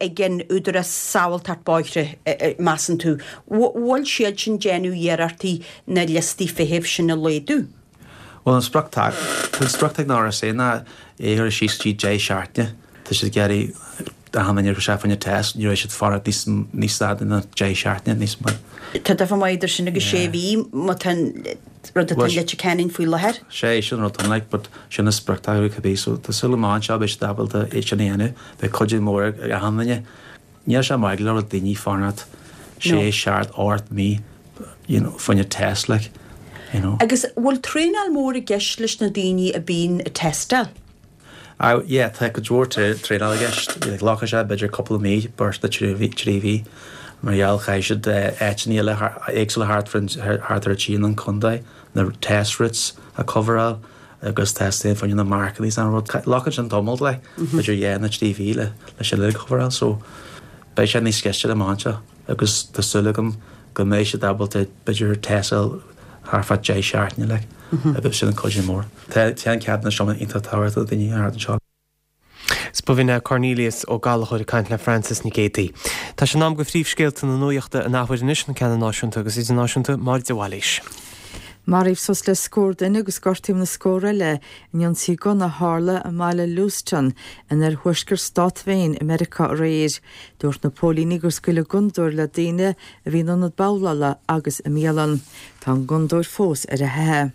ag an Údarás Sábháilteacht Bóithre measann tú? Bhfuil siad sin déanamh iarrachtaí na liostaí feithimh sin a laghdú? Bhuel an sprioc tá an sprioc ag an RSA ná é a chur síos go dtí 10 seachtaine. Tá siad ag iarraidh achan duine a chur isteach fá choinne test, ní raibh siad fanacht níos níos fada ná 10 seachtaine níos mó. Tá difear maith idir sin agus sé mhí má tá an rud atá i Leitir Ceanainn faoi láthair. Sé sin an rud like but sin an sprioc atá acu cibé so tá súil amach anseo beidh siad ábalta é sin a dhéanamh. Beidh cuidiú mór ag achan duine. Níl sé maith go leor daoine fanacht sé, seacht, 8 mí you know fá choinne test like, you know. Agus bhfuil traenáil mór i gceist leis na daoine a bíonn ag tástáil? Ah yeah, tá cuid mhór traenáil i gceist. Like glacfaidh sé b'fhéidir cúpla mí, beirt nó 3 mhí mar gheall caithfidh siad áiteanna eile éagsúla thart thart ar an tír an contae, na test routes a coveráil. agus test fá choinne na marcanna is an rud. Glacann sin tamall like, b'fhéidir 2 nó 3 mhí le le sin uilig a coveráil so beidh sé níos gaiste amach anseo agus tá súil agam go mbeidh siad ábalta b'fhéidir tástáil thart fá 10 seachtaine like agus sin an cuidiú mór. Tá an ceadúnas seo iontach tábhachtach do daoine thart anseo. 'S b'in é Cornelius Ó Gallchóir ag caint le Frances Nic Géadaigh. Tá sé in am do phríomhscéalta na nuachta an athuair anois, na ceanna náisiúnta agus idirnáisiúnta, Máire de Bhailís. Maraíodh suas le scór duine agus gortaíodh na scór eile in ionsaí gunna a tharla i mbaile Lewiston in oirthuaisceart stát Mhaine i Meiriceá aréir. Dúirt na póilíní gur scaoileadh gunnadóir le daoine a bhí in ionad babhlála agus i mbialann. Tá an gunnadóir fós ar a theitheadh.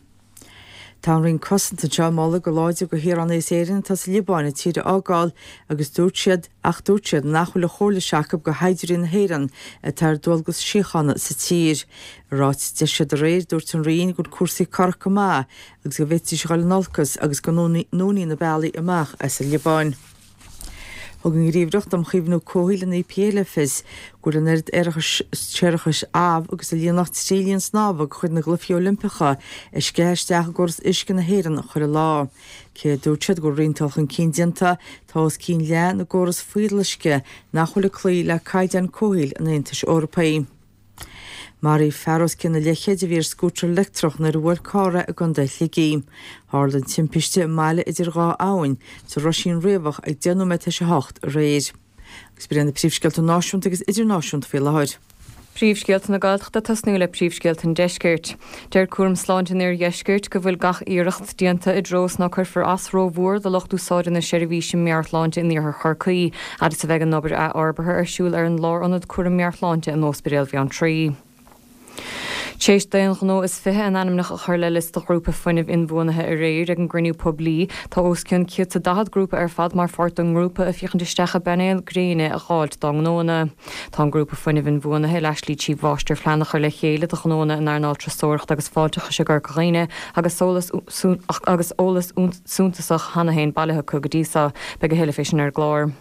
Tá an Roinn Cosanta anseo ag moladh go láidir do shaoránaigh as Éirinn atá sa Liobáin an tír a fhágáil agus dúirt siad ach dúirt siad nach bhfuil an chomhairle seo acu do shaighdiúirí na hÉireann atá ar dualgas síochána sa tír. I ráiteas a d'eisigh siad aréir dúirt an Roinn go bhfuil cúrsaí corrach go maith agus go bhféadfaidís a dhul in olcas agus go ndúnfaí na bealaí amach as an Liobáin. Thug an Ghníomhaireacht um Chaomhnú Comhshaoil, an EPA, le fios go bhfuil an oiread séarachais amh agus a líonfadh 3 linn snámha de chuid na gCluichí Oilimpeacha ag sceitheadh isteach i gcóras uisce na hÉireann chuile lá. Cé a dúirt siad go bhfuil roinnt dul chun cinn déanta, tá os cionn leath na gcóras fuíolluisce nach bhfuil ag cloí le caighdeáin comhshaoil an Aontais Eorpaigh. Maraíodh fear os cionn a leithchéid a bhí ar scútar leictreach nuair a bhuail carr é i gContae Shligigh. Tharla an timpiste i mBaile Idir Dhá Abhainn sa Roisín Riabhach ag 10 nóiméad tar éis 8 aréir. Agus b'in iad na príomhscéalta náisiúnta agus idirnáisiúnta faoi láthair. Príomhscéalta na Gaeltachta ag tosnú le príomhscéalta an Deiscirt. Deir Cúram Sláinte an Iardheiscirt go bhfuil gach iarracht déanta i dtreo is ná cuirfear as rómhór do lucht úsáide na seirbhíse meabhairshláinte in iarthar Chorcaí, fhad is a bheidh an obair athfhorbartha ar siúl ar an Lárionad Cúraim Meabhairshláinte in Óspidéal Bheanntraí. Tar éis d'aon ghnó is 20 a n-ainmneacha a chur le liosta ghrúpa fuinnimh inbhuanaithe aréir ag an gcruinniú poiblí, tá os cionn 140 grúpa ar fad mar pháirt den ngrúpa ag féachaint isteach i bpainéil gréine a dh'fháilt dá ngnóanna. Tá an grúpa fuinnimh inbhuanaithe a Leas-Lee Chief Mháistir-Phlean a chur le chéile do ghnóanna in earnáil turasóireachta agus fáilteachais i gCorca Dhuibhne agus agus eolas suntasach cheana féin bailithe acu go dtí so. Beidh a thuilleadh fé sin ar an gclár.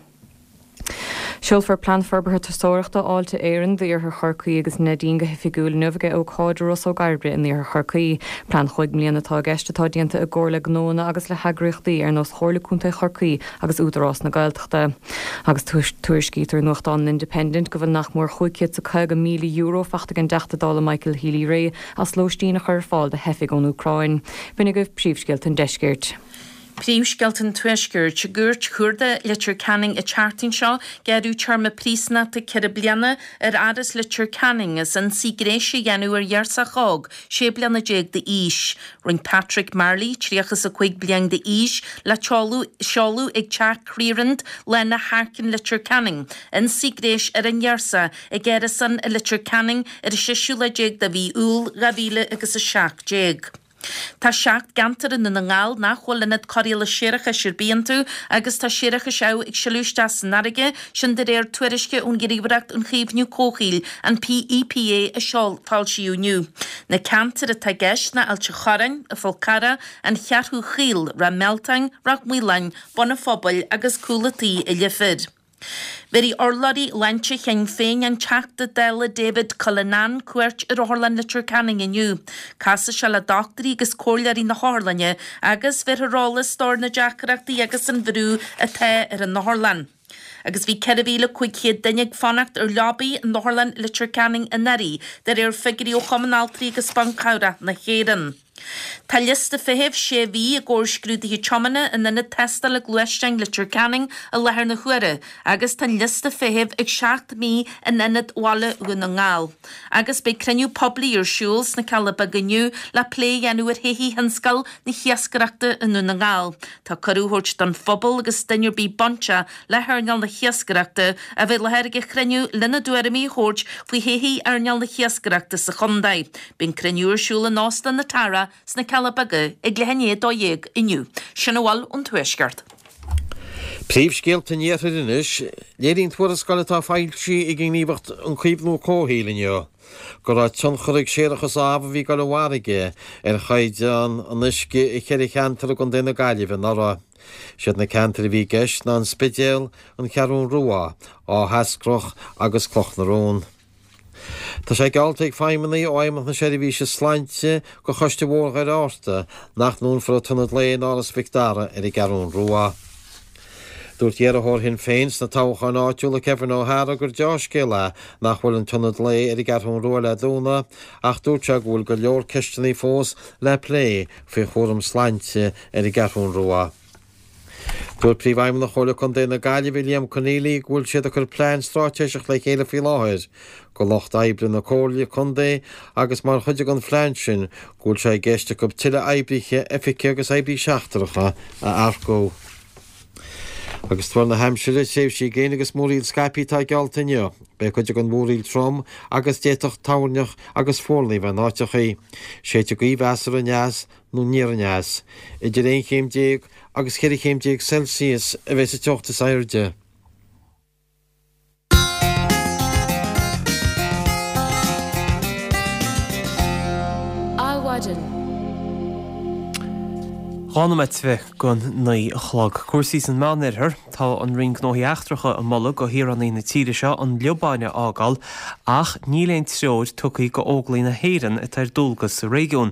Seolfar Plean Forbartha Turasóireachta Fháilte Éireann d'Iarthar Chorcaí agus Neidín go hoifigiúil inniu ag ócáid i Ros Ó gCairbre in Iarthar Chorcaí. Plean chúig mbliana atá i gceist atá déanta i gcomhar le gnóanna agus le heagraíochtaí ar nós Chomhairle Contae Chorcaí agus Údarás na Gaeltachta. Agus tuairiscítear i nuachtán an Independent go bhfuil nach mór €550,000 faighte ag an dTeachta Dála Michael Healy-Rae as lóistín a chur ar fáil do theifigh ón Úcráin. B'in agaibh príomhscéalta an deiscirt. Príomhscéalta an Tuaiscirt. I gCúirt Chuarda Leitir Ceanainn an tseachtain seo, gearradh téarma príosúnachta 4 bliana ar fhear as Leitir Ceanainn as ionsaí gnéis a dhéanamh ar ghirseach óg, 16 bliana d'aois. Rinne Patrick Marley, 35 bliain d'aois, le seoladh ag Teach Clearand, Lána Harkin, Leitir Ceanainn, ionsaí gnéis ar an ngirseach ag árasán i Leitir Ceanainn ar an seisiú lá déag de mhí Iúil 2017. Tá 7 gceantar i nDún na nGall nach bhfuil ionad cóireála séarachais ar bith iontu agus tá séarachas amh ag sileadh isteach san fharraige, sin de réir tuairisce ón Ghníomhaireacht um Chaomhnú Comhshaoil, an EPA, a foilsíodh inniu. Na ceantair atá i gceist ná Ailt an Chorráin, an Fál Carrach, An Cheathrú Chaol, Ráth Mealtain, Ráth Maoláin, Bun an Phobail agus Cúl an Tí i Leifear. Bhéarfaidh urlabhraí shláinte Shinn Féin an Teachta Dála David Cullinane cuairt ar Otharlann Leitir Ceanainn inniu. Casfaidh sé le dochtúirí agus comhairleoirí na hotharlainne agus bhéarfar eolas dó ar na deacrachtaí agus an bhrú atá ar an otharlann. Agus bhí 4,500 duine ag fanacht ar leabaí in Otharlann Leitir Ceanainn anuraidh, de réir figiúirí ó Chumann Altraí agus Ban Cabhrach na hÉireann. Tá liosta feithimh sé mhí i gcomhair scrúduithe tiomána in ionad tástála gluaisteáin Leitir Ceanainn i láthair na huaire agus tá an liosta feithimh ag 7 mí in ionad Bhaile Dhún na nGall. Agus beidh cruinniú poiblí ar siúl sna Cealla Beaga inniu le plé a dhéanamh ar thodhchaí thionscal na hiascaireachta i nDún na nGall. Tá cuireadh á thabhairt don phobal agus duine ar bith bainteach le hearnáil na hiascaireachta a bheith i láthair ag an chruinniú lena dtuairimí a thabhairt faoi thodhchaí earnáil na hiascaireachta sa chontae. Beidh an cruinniú ar siúl in Óstán na Tara sna Cealla Beaga ag leath i ndiaidh 12 inniu. Sin a bhfuil ón Tuaisceart. Príomhscéalta an Iarthair anois. Léiríonn tuarascáil atá foilsithe ag an nGníomhaireacht um Chaomhnú Comhshaoil inniu go raibh tionchar ag séarachas amh a bhí ag dul i bhfarraige ar chaighdeán an uisce i cheithre cheantar i gContae na Gaillimhe anuraidh. Siad na ceantair a bhí i gceist ná an Spidéal, an Cheathrún Rua, Áth hEascrach agus Cloch na Rón. Tá sé geallta ag feidhmeannaigh ó Fheidhmeannacht na Seirbhíse Sláinte go Choiste Bhóthar Dhoire Fhátharta nach ndúnfar an t-ionad lae in Áras Mhic Dara ar an gCeathrún Rua. Dúirt iarrthóir Shinn Féin sna toghcháin áitiúla Kevin O'Hara gur deá-scéal é nach bhfuil an t-ionad lae ar an gCeathrún Rua le dúnadh ach dúirt sé go bhfuil go leor ceisteanna fós le plé faoi chúram sláinte ar an gCeathrún Rua. Dúirt Príomhfheidhmeannach Chomhairle Contae na Gaillimhe, Liam Conneely, go bhfuil siad ag cur plean straitéiseach le chéile faoi láthair go lucht oibre na Comhairle Contae agus mar chuid den phlean sin go bhfuil sé i gceist acu tuilleadh oibrithe oifige agus oibrí seachtracha a earcú. Agus tuar na haimsire, tréimhsí gréine agus múraíl scaipthe atá geallta inniu. Beidh cuid den mhúraíl trom agus d'fhéadfadh toirneach agus fuarlaigh a bheith in áiteachaí. Séidfidh gaoth mheasartha aneas nó aniar aneas. Idir 11 chéim agus 14 chéim Celsius a bheidh sa teocht is airde. Adhmhaidin. 2 nóiméad go 9 a chlog. Cúrsaí san Meánoirthear. Tá an Roinn Gnóthaí Eachtracha ag moladh go shaoránaigh na tíre seo an Liobáin a fhágáil ach níl aon treoir tugtha go Óglaigh na hÉireann atá ar dualgas sa réigiún.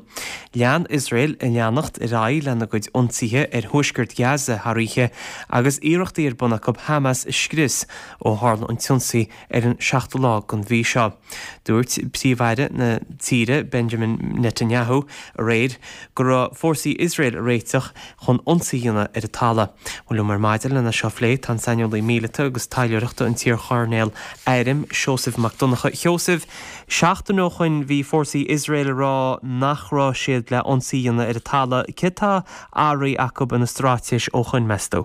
Lean Iosrael ag leanacht ar aghaidh lena gcuid ionsaithe ar thuaisceart Ghaza thar oíche agus iarrachtaí ar bun acu Hamas a scrios ó tharla an t-ionsaí ar an seachtú lá den mhí seo. Dúirt Príomh-Aire na tíre Benjamin Netanyahu aréir go raibh fórsaí Iosrael ag réiteach chun ionsaí a dhéanamh ar an talamh. Bhuel liom ar maidin lena seo a phlé tá an saineolaí míleata agus taidhleoireachta an t-iar-choirnéal airm Seosamh Mac Donncha. A Sheosaimh, seachtain ó shoin bhí fórsaí Iosrael ag rá nach raibh siad le ionsaí a dhéanamh ar an talamh. Céard tá athraithe acu ina straitéis ó shoin, meas tú?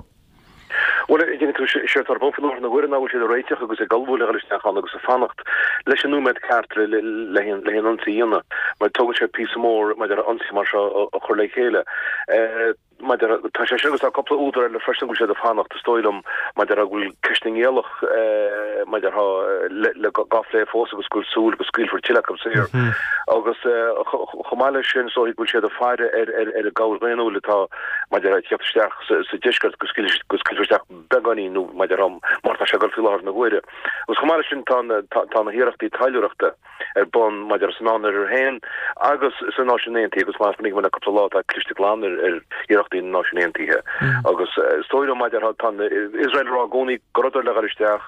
Bhuel, a dhéanfaidh tú, séard atá ar bun faoi láthair na huaire ná go bhfuil siad ag réiteach agus ag ullmhú le dhul isteach ann agus ag fanacht leis an nóiméad ceart le le haon ionsaí a dhéanamh, mar tógann sé píosa mór maidir le ionsaí mar seo a chur le chéile. Maidir, tá sé sin agus tá cúpla údar eile freisin go bhfuil siad ag fanacht, is dóigh liom, maidir go bhfuil ceist na ngiallach maidir le dhá phlé fós agus go bhfuil súil go scaoilfear tuilleadh acu saor. Agus chomh maith leis sin, is dóigh go bhfuil siad ag faire ar ar an gcabhair dhaonnúil atá maidir ag teacht isteach sa deisceart go scaoilfear isteach beagáinín nó maidir mar tá sé ag dul faoi láthair na huaire. Agus chomh maith leis sin tá tá na hiarrachtaí taidhleoireachta. ar bun maidir sa Meánoirthear féin agus sna Náisiúin Aontaithe agus mar a chonaic muid le cúpla lá tá cliste glan ar iarrachtaí na Náisiún Aontaithe agus is dóigh liom maidir tá Iosrael ag rá i gcónaí go rabhadar le dhul isteach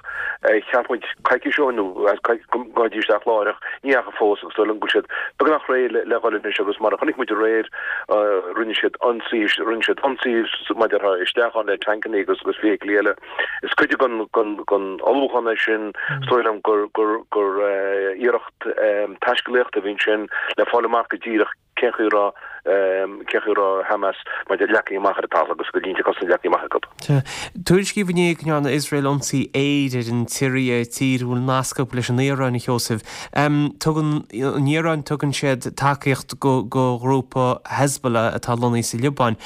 cheap muid coicís ó shin nó go ngabhfaidís isteach láithreach ní fhaca fós agus is dóigh liom go bhfuil siad beagnach réidh le dhul anois agus mar a chonaic muid aréir rinne siad ionsaí rinne siad ionsaí maidir isteach ann le tancanna agus agus feithiclí eile. Is cuid den ullmhúchán é sin. Is dóigh liom gur iarracht taiscéalaíochta a bhí ansin le fáil amach go díreach cén chaoi a raibh cén chaoi a raibh Hamas maidir leagtha amach ar an talamh agus go línte cosanta leagtha amach acu. Tuairiscíodh inné go ndearna Iosrael ionsaí aeir ar an tSiria, tír a bhfuil nasc acu leis an Iaráin, a Sheosaimh. Tugann an Iaráin tugann siad tacaíocht go ghrúpa Hezbollah atá lonnaithe sa Liobáin.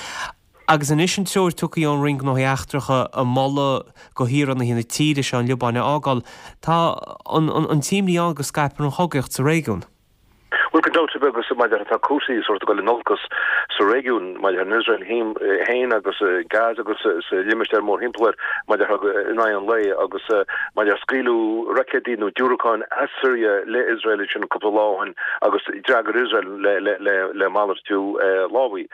Agus anois an treoir tugtha ón Roinn Gnóthaí Eachtracha ag moladh go shaoránaithe na tíre seo an Liobáin a fhágáil, tá an t-imní ann go scaipfear an chogaíocht sa réigiún. Bhuel, gan dabht ar bith agus maidir tá cúrsaí sórt ag dul in olcas sa réigiún maidir in Iosrael féin agus Gaza agus sa limistéar mórthimpeall air maidir in aghaidh an lae agus maidir scaoileadh roicéidí nó diúracáin as Siria le Iosrael ansin cúpla lá ó shin agus d'fhreagair Iosrael le malartú lámhaigh.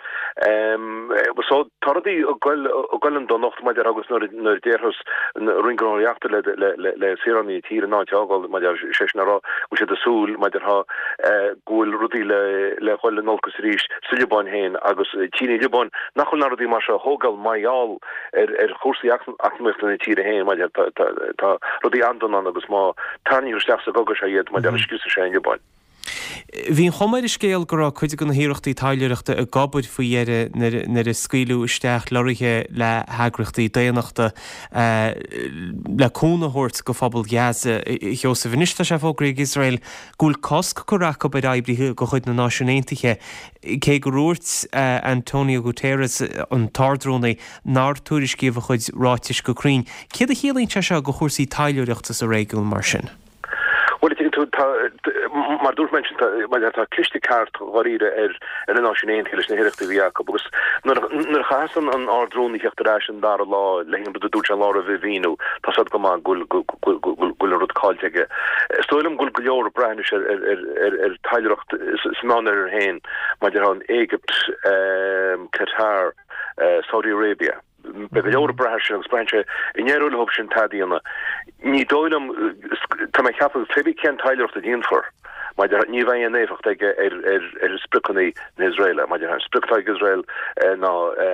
So tá rudaí ag goil ag goil chun donacht maidir agus nuair a déarfas an Roinn Gnóthaí Eachtracha le le saoránaigh na tíre an áit a fhágáil maidir sé sin a rá go bhfuil siad ag súil maidir go bhfuil rudaí le le dhul in olcas arís sa Liobáin féin agus tchíonn an Liobáin nach bhfuil na rudaí mar seo a thógáil mar gheall ar ar chúrsaí eacnamaíochta na tíre féin maidir tá tá rudaí an-dona ann agus má tarraingítear isteach sa gcogadh seo iad maidir scriosfaidh sé an Liobáin. Bhí an chuma ar an scéal go raibh cuid de na hiarrachtaí taidhleoireachta ag obair faoi dheireadh nuair a scaoileadh isteach lorraithe le heagraíochtaí daonnachta le cúnamh a thabhairt go phobal Ghaza. A Sheosaimh, anois tá sé fógraithe ag Iosrael go bhfuil cosc curtha acu ar oibrithe de chuid na Náisiún Aontaithe, cé gur dhúirt Antonio Guterres, an tArd-Rúnaí, nár tuairiscíodh a chuid ráitis go cruinn. Céard a chiallaíonn sé seo do chúrsaí taidhleoireachta sa réigiún mar sin? Bhuel, tuigeann tú, tá, mar a dúirt mé ansin, tá, mar tá cliste ceart dháiríre ar ar na Náisiúin Aontaithe leis na hiarrachtaí a bhí acu agus nuair a nuair a chaitheas an an Ard-Rúnaí theacht ar ais an dara lá le an rud a dúirt sé an lá roimhe a mhíniú, tá 's agat go maith go bhfuil go go go go bhfuil an rud caillte aige. Is dóigh liom go bhfuil go leor ag brath anois ar ar ar ar ar taidhleoireacht sa Meánoirthear féin maidir le an Éigipt, Qatar, Saudi Arabia. Beidh go leor ag brath air sin agus braitheann sé an n-éireoidh leo sin tada a dhéanamh. Ní dóigh liom, tá mé ag ceapadh, pé bith cén taidhleoireacht a dhéanfar, maidir, ní bheidh aon éifeacht aige ar ar ar spriocanna na hIosraeile. Maidir, an sprioc atá ag Iosrael ná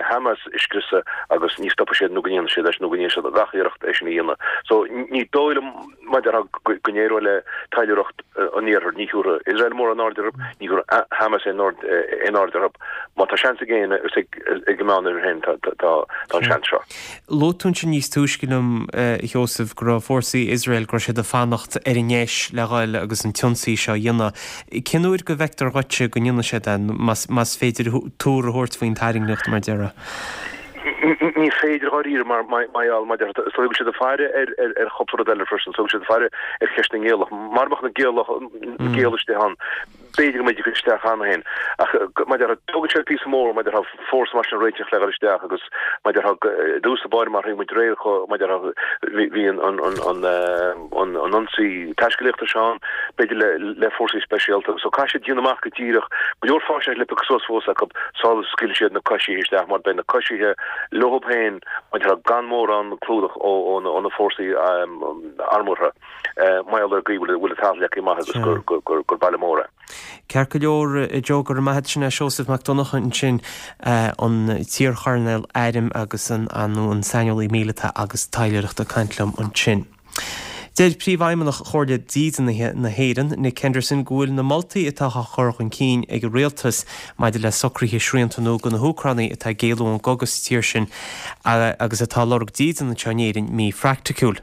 Hamas a scriosadh agus ní stopfaidh siad nó go ndéanfaidh siad é sin nó go ndéanfaidh siad gach iarracht é sin a dhéanamh. So ní dóigh liom, maidir, go n-éireoidh le taidhleoireacht an Iarthair, ní thiúrfaidh Iosrael mórán aird orthu, ní thiúrfaidh Hamas aon aird orthu. Má tá seans ag éinne, is ag an Meánoirthear féin tá an seans seo. Luaigh tú ansin níos túisce liom, a Sheosaimh, go raibh fórsaí Iosrael, go raibh siad ag fanacht ar an ndeis le dhul agus an t-ionsaí seo a dhéanamh. Cén uair go bhfeictear dhuitse go ndéanfaidh siad é, más féidir tuar a thabhairt faoin tairngreacht, mar a déarfá? Ní féidir dháiríre mar gheall, mar is dóigh go bhfuil siad ag faire ar chúpla rud eile freisin, is dóigh go bhfuil siad ag faire ar cheist na ngiallach. Mara mbeadh na giallaigh istigh ann, B'fhéidir go mbeidís ag dul isteach cheana féin. Ach mar a déarfá, tógann sé píosa mór mar a déarfá fórsa mar sin a réiteach le dhul isteach agus mar a déarfá i dtús báire mar a bhí muid aréir mar a déarfá bhí an an ionsaí taiscéalaíochta seo ann, b'fhéidir le le fórsaí speisialta. So caithfidh siad déanamh amach go díreach go leor faisnéis le piocadh suas fós acu sula scaoilfidh siad na coisithe isteach mar beidh na coisithe leo féin mar a déarfá gan mórán clúdach ó ó na fórsaí armúrtha. Mar gheall ar an gcaoi a bhfuil an talamh leagtha amach agus gur baile mór é. Ceart go leor, a Joe, go raibh maith agat. Sin é Seosamh Mac Donncha ansin, an t-iarchoirnéal airm agus an nó an saineolaí míleata agus taidhleoireachta ag caint liom ansin. Deir Príomhfheidhmeannach Chomhairle Dídeanaithe na hÉireann, Nick Henderson, go bhfuil na moltaí atá á chur chun cinn ag an rialtas maidir le socruithe srianta nua do na hÚcránaigh atá ag éalú ón gcogadh sa tír sin agus atá ag lorg dídean anseo in Éirinn míphraiticiúil.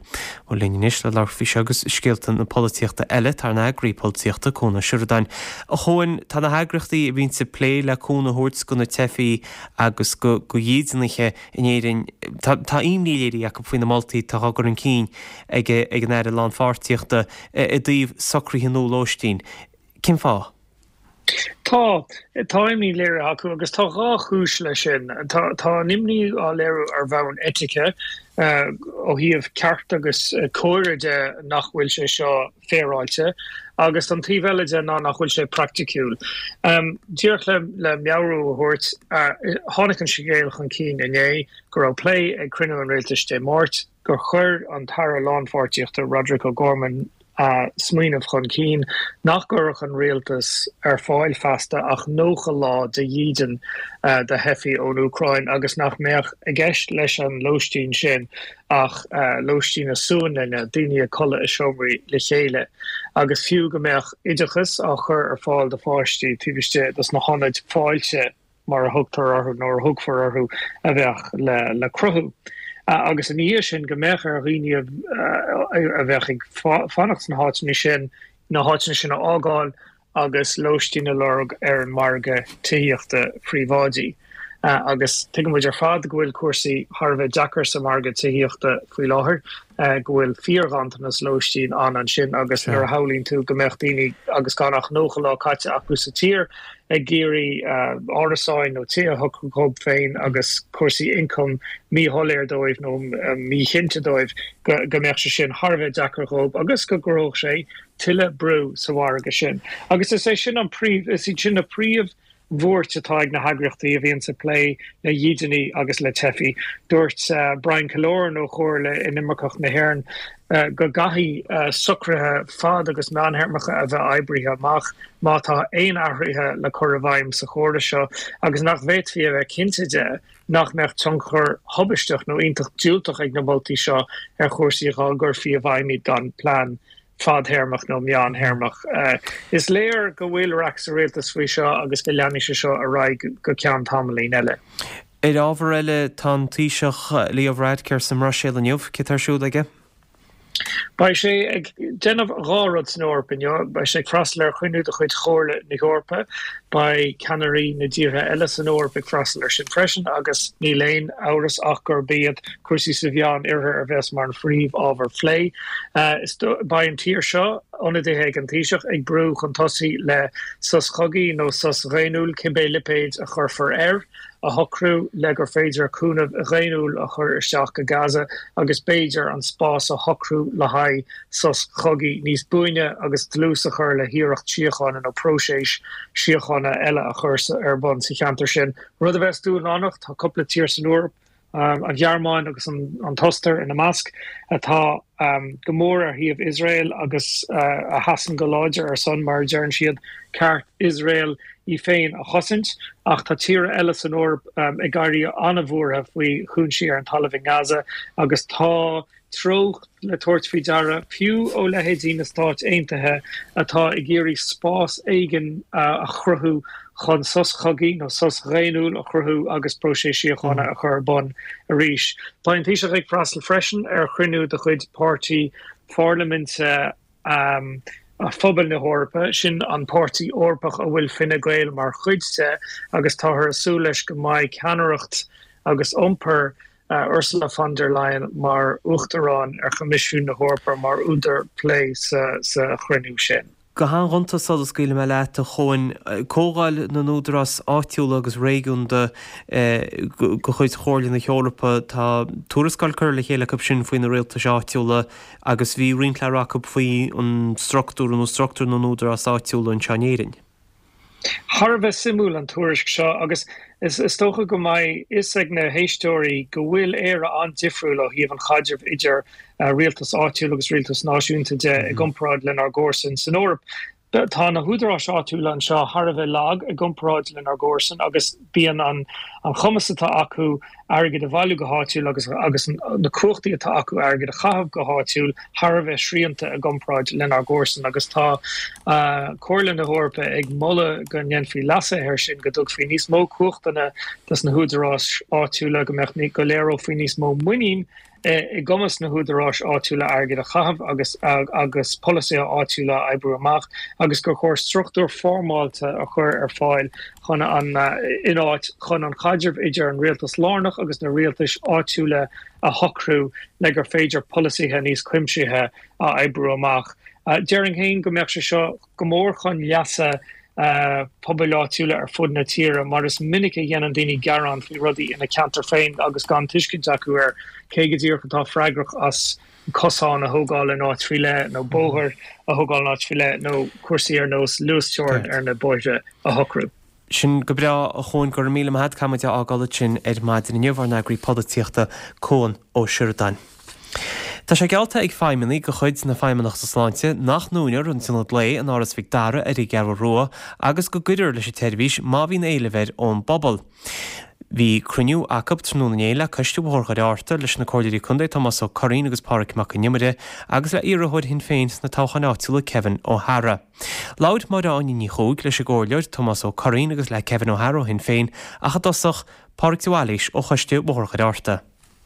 Bhuel linn anois le labhairt faoi seo agus scéalta na polaitíochta eile tá ár n-eagraí polaitíochta, Cuan Ó Seireadáin. A Chuain, tá na heagraíochtaí a bhíonns ag plé le cúnamh a thabhairt do na teifigh agus do dhídeanaithe in Éirinn, tá imní léirithe acu faoi na moltaí atá á gcur chun cinn ag an Aire Lánpháirtíochta i dtaobh socruithe nua lóistín. Cén fáth? Tá. Tá imní léirithe acu agus tá dhá chúis leis sin. Tá an imní á léiriú ar bhonn eitice, ó thaobh ceart agus córa de nach bhfuil sé seo féaráilte, agus an taobh eile de ná nach bhfuil sé praiticiúil. Díreach le meabhrú a thabhairt, tháinig an scéal chun cinn inné go raibh plé ag cruinniú an rialtais Dé Máirt, gur chuir an tAire Lánpháirtíochta Roderic O'Gorman smaoineamh chun cinn nach gcuirfeadh an rialtas ar fáil feasta ach 90 lá de dhídean do theifigh ón Úcráin agus nach mbeadh i gceist leis an lóistín sin ach lóistín na suanlainne, daoine ag codladh i seomraí le chéile, agus fiú go mbeadh oideachas á chur ar fáil do pháistí taobh istigh dos na hionaid fáilte. mar a thugtar orthu nó a thugfar orthu, a bheadh le cruthú. Agus ina dhiaidh sin, go mbeadh ar dhaoine a bheadh ag fanacht sna háiteanna sin, na háiteanna sin a fhágáil agus lóistín a lorg ar an margadh tithíochta phríobháidí. Agus tuigeann muid ar fad go bhfuil cúrsaí thar a bheith deacair sa mhargadh tithíochta faoi láthair, go bhfuil fíorghanntanas lóistín ann ansin agus nuair a shamhlaíonn tú go mbeadh daoine agus gan ach 90 lá caite acu sa tír, ag iarraidh árasáin nó tithe a shocrú dhóibh féin agus cúrsaí ioncaim míshoiléir dóibh nó míchinnte dóibh, go mbeadh sé sin thar a bheith deacair dhóibh agus go gcruthódh sé tuilleadh brú sa mhargadh sin. Agus is é sin an príomh, is iad sin na príomh bhuairt atá ag na heagraíochtaí a bhíonns ag plé le dhídeanaí agus le teifigh. Dúirt Brian Killoran ó Chomhairle Inimirceach na hÉireann go gcaithfidh socruithe fad agus meánthéarmacha a bheith oibrithe amach má tá aon athruithe le cur i bhfeidhm sa chóras seo agus nach bhféadfaí a bheith cinnte de nach mbeadh tionchar thubaisteach nó iontach diúltach ag na moltaí seo ar chúrsaí dhá gcuirfí i bhfeidhm iad gan plean fadthéarmach nó meántéarmach. Is léir go bhfuil raic sa rialtas faoi seo agus go leanfaidh sé seo ar aghaidh go ceann tamaillín eile. Ar ábhar eile, tá an Taoiseach Leo Varadkar sa mBruiséil inniu. Cé tá ar siúl aige? Beidh sé ag déanamh dhá rud san Eoraip inniu. Beidh sé ag freastal ar chruinniú de chuid Chomhairle na hEorpa. Beidh ceannairí na dtíortha eile san Eoraip ag freastal air sin freisin agus níl aon amhras ach gurb iad cúrsaí sa Mheán Oirthear a bheas mar an phríomh-ábhar phlé. Beidh an tír seo, ionadaithe ag an Taoiseach, ag brú chun tosaigh le sos cogaidh nó sos dhaonnúil, cibé lipéad a chuirfear air. a shocrú le gur féidir cúnamh dhaonnúil a chur isteach go Gaza agus b'fhéidir an spás a shocrú le haghaidh sos cogaidh níos buaine agus dlús a chur le hiarracht síochána nó próiseas síochána eile a chur ar bun sa cheantar sin, rud a bheas dúshlánach. Tá cúpla tír san Eoraip, an Ghearmáin agus an tOstair ina measc, atá go mór ar thaobh Iosrael agus a sheasann go láidir ar son, mar a deireann siad, ceart Iosrael í féin a chosaint. Ach tá tíortha eile san Eoraip ag éirí an-bhuartha faoi chúinsí ar an talamh i nGaza agus tá treocht le tabhairt faoi deara, fiú ó leithéidí na Stáit Aontaithe atá ag iarraidh spás éigin a chruthú chun sos cogaidh nó sos dhaonnúil a chruthú agus próiseas síochána a chur ar bun arís. Beidh an Taoiseach ag freastal freisin ar chruinniú de chuid Páirtí Pharlaiminte Phobail na hEorpa, sin an páirtí Eorpach a bhfuil Fine Gael mar chuid de agus táthar ag súil leis go mbeidh ceannaireacht agus iompar Ursula von der Leyen mar Uachtarán ar Choimisiún na hEorpa mar údar plé sa chruinniú sin. Go han-ghonta sula scaoilfidh mé leat, a Chuain, Comhdháil na nÚdarás Áitiúla agus Réigiúnda de chuid Chomhairle na hEorpa, tá tuarascáil curtha le chéile acu sin faoi na rialtais áitiúla agus bhí roinnt le rá acu faoi an struchtúr nó struchtúr na n-údarás áitiúla anseo in Éirinn. Thar a bheith suimiúil an tuairisc seo agus is dócha go mbeidh fhios ag na héisteoirí go bhfuil Éire an-difriúil ó thaobh an chaidrimh idir rialtas áitiúil agus rialtas náisiúnta de i gcomparáid lenár gcomharsain san Eoraip. Tá na húdaráis áitiúla anseo thar a bheith lag i gcomparáid lenár gcomharsain agus bíonn an cumas atá acu airgead a bhailiú go háitiúil agus agus na cumhachtaí atá acu airgead a chaitheamh go háitiúil thar a bheith srianta i gcomparáid lenár gcomharsain agus tá Comhairle na hEorpa ag moladh go ndéanfaí leasuithe air sin, go dtugfaí níos mó cumhachtanna dos na húdaráis áitiúla, go mbeadh, go léireofaí níos mó muinín i gcumas na húdaráis áitiúla airgead a chaitheamh agus agus polasaithe áitiúla a oibriú amach agus gur chóir struchtúr foirmeálta a chur ar fáil chun an in áit chun an caidreamh idir an rialtas lárnach agus na rialtais áitiúla a shocrú le gur féidir polasaithe níos cuimsithe a oibriú amach. Déarfainn féin go mbeadh sé seo go mór chun leasa pobail áitiúla ar fud na tíre mar is minic a dhéanann daoine gearán faoi rudaí ina ceantar féin agus gan tuiscint acu ar cé go díreach atá freagrach as cosán a thógáil in áit faoi leith nó bóthar a thógáil in áit faoi leith nó cúrsaí ar nós luasteorainn ar na bóithre a shocrú. Sin go breá, a Chuain, go raibh míle maith agat. Caithfidh muid é a fhágáil ansin ar maidin inniu, ár n-eagraí polaitíochta, Cuan Ó Seireadáin. Tá sé geallta ag feidhmeannaigh de chuid na Feidhmeannachta Sláinte nach ndúnfar an tIonad Lae in Áras Mhic Dara ar an gCeathrú Rua agus go gcuirfear leis an tseirbhís má bhíonn éileamh air ón bpobal. Bhí cruinniú acu tráthnóna inné le Coiste Bhóthar Dhoire Fhearta, leis na Comhairleoirí Contae Tomás Ó Curraoin agus Pádraig Mac Con Iomaire agus le iarrthóir Shinn Féin sna toghcháin áitiúla Kevin O'Hara. Labhair Máire Áine Ní Chuaig leis an gComhairleoir Tomás Ó Curraoin agus le Kevin O'Hara ó Shinn Féin ach i dtosach, Pádraig de Bhailís ó Choiste Bhóthar Dhoire Fhearta.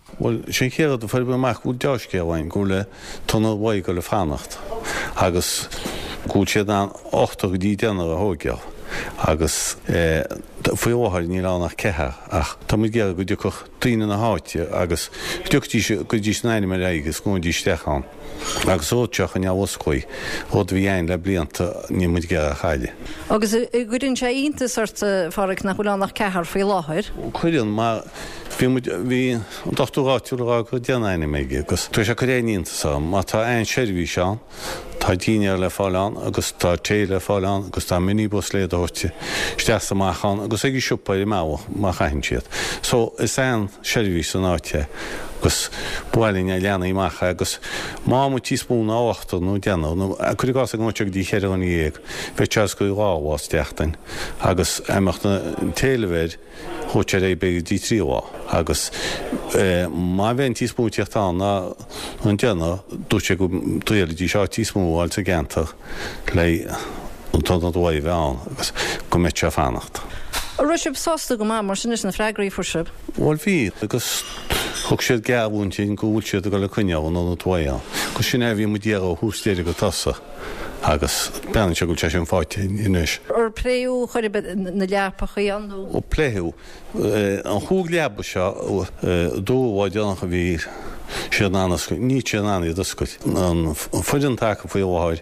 Bhuel, sin an chéad rud a fuair mé amach, go bhfuil deá-scéal ann, go bhfuil an t-ionad lae ag dul a fanacht agus go bhfuil siad in ann ochtar go dtí deichniúr a thóigeáil agus faoi láthair níl ann ach ceathrar ach tá muid ag iarraidh go dtiocfadh daoine na háite agus go dtiocfaidís, go gcuirfidís a n-ainm ar aghaidh agus go ngabhaidís isteach ann. Agus an rud seo a choinneáil osclaí, rud a bhí a'inn le blianta, níl muid ag iarraidh a chailleadh. Agus an gcuireann sé iontas ort, a Phádraig, nach bhfuil ann ach ceathrar faoi láthair? Cuireann, mar bhí muid, bhí an dochtúir áitiúil ag rá go raibh deich n-ainm aige agus tá sé ag cur aon iontas orm, mar tá an-seirbhís ann, tá dinnéar le fáil ann agus tá tae le fáil ann agus tá minibus le iad a thabhairt isteach is amach ann agus ag an siopa ar an mbealach má chaitheann siad. So, is an-seirbhís san áit é agus ba mhaith linn é a leathnú amach agus má bhíonn muid níos mó ná ochtar nó deichniúr nó cuir i gcás ag an seo go dtí cheithre dhuine dhéag, bheadh sé osclaí dhá lá sa tseachtain agus dá mbeadh an t-éileamh air Chuaigh sé ar aghaidh b'fhéidir go dtí trí lá agus má bheidh níos mó ag tíocht ann ná an deichniúr, dúirt sé go dtriailfidís áit níos mó a fháil sa gceantar le an t-ionad lae a bheith ann agus go mbeadh sé ag fanacht. An raibh sibh sásta go maith mar sin leis na freagraí a fuair sibh? Bhuel bhí agus thug siad geallúint dúinn go bhfuil siad ag dul ag coinneáil an ionad lae ann agus sin é a bhí muid ag iarraidh ó thús deireadh go tosach. Agus breathnaíonn sé go bhfuil sé sin faighte anois. Ar pléadh chor ar bith na leapachaí ann nó? Ó pléadh. An chúig leaba seo, dúradh lá deireanach a bhí siad in ann oscailt, níl siad in ann iad oscailt. An foireann atá acu faoi láthair,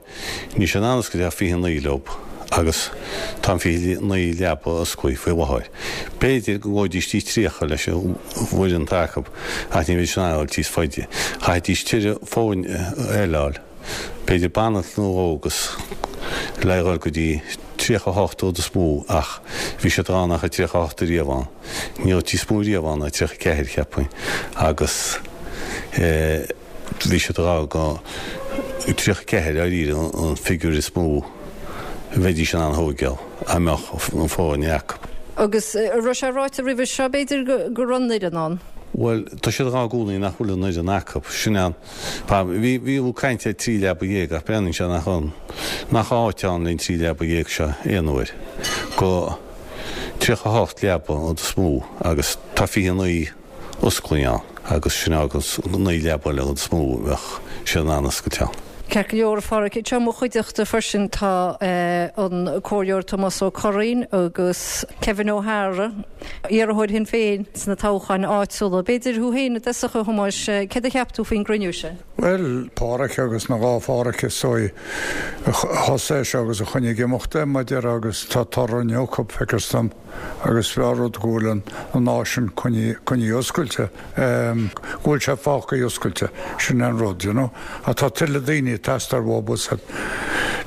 níl siad in ann oscailt ach 29 leo agus tá an 29 leaba osclaithe faoi láthair. B'fhéidir go ngabhfaidís dtí 30 leis an bhfoireann atá acu ach ní bheidís in ann a dhul níos faide. Chaithfidís tuilleadh foirne eile a fháil. B'fhéidir banaltra nó dhó agus le dhul go dtí 38 rud is mó ach bhí siad ag rá nach raibh 38 ariamh ann. Ní raibh níos mó riamh ann ná 34 cheapfainn agus bhí siad ag rá go 34 dáiríre an figiúr is mó a bheidís in ann a thóigeáil dá mbeadh an foirne acu. Agus an raibh sé ráite roimhe seo b'fhéidir go raibh an fhoireann ann? Bhuel tá siad ag rá i gcónaí nach bhfuil an fhoireann acu. Sin an. Bhí bhí caint ar 13 leaba ach breathnaíonn sé nach ann nach áit ann len 13 leaba seo aon uair go 38 leaba an is mó agus tá 29 osclaí ann agus sin agus 9 leaba eile an is mó a bheadh siad in ann oscailt ann. Ceart go leor, a Pháraic. Anseo i mo chuideachta freisin tá an Comhairleoir Tomás Ó Curraoin agus Kevin O'Hara, iarrthóir Shinn Féin sna toghcháin áitiúla. B'fhéidir thú féin i dtosach, a Thomáis, céard a cheap tú faoin gcruinniú sin? Bhuel, Páraic agus na dhá Pháraic is dóigh a thosaigh é seo agus a choinnigh ag imeacht é, mar a déarfá, agus tá toradh inniu acu, feictear dom, agus b'fhearr rud go bhfuil an áis sin coinnithe oscailte, go bhfuil sé fágtha oscailte, sin é an rud, you know. Ach tá tuilleadh daoine ag teastáil uathu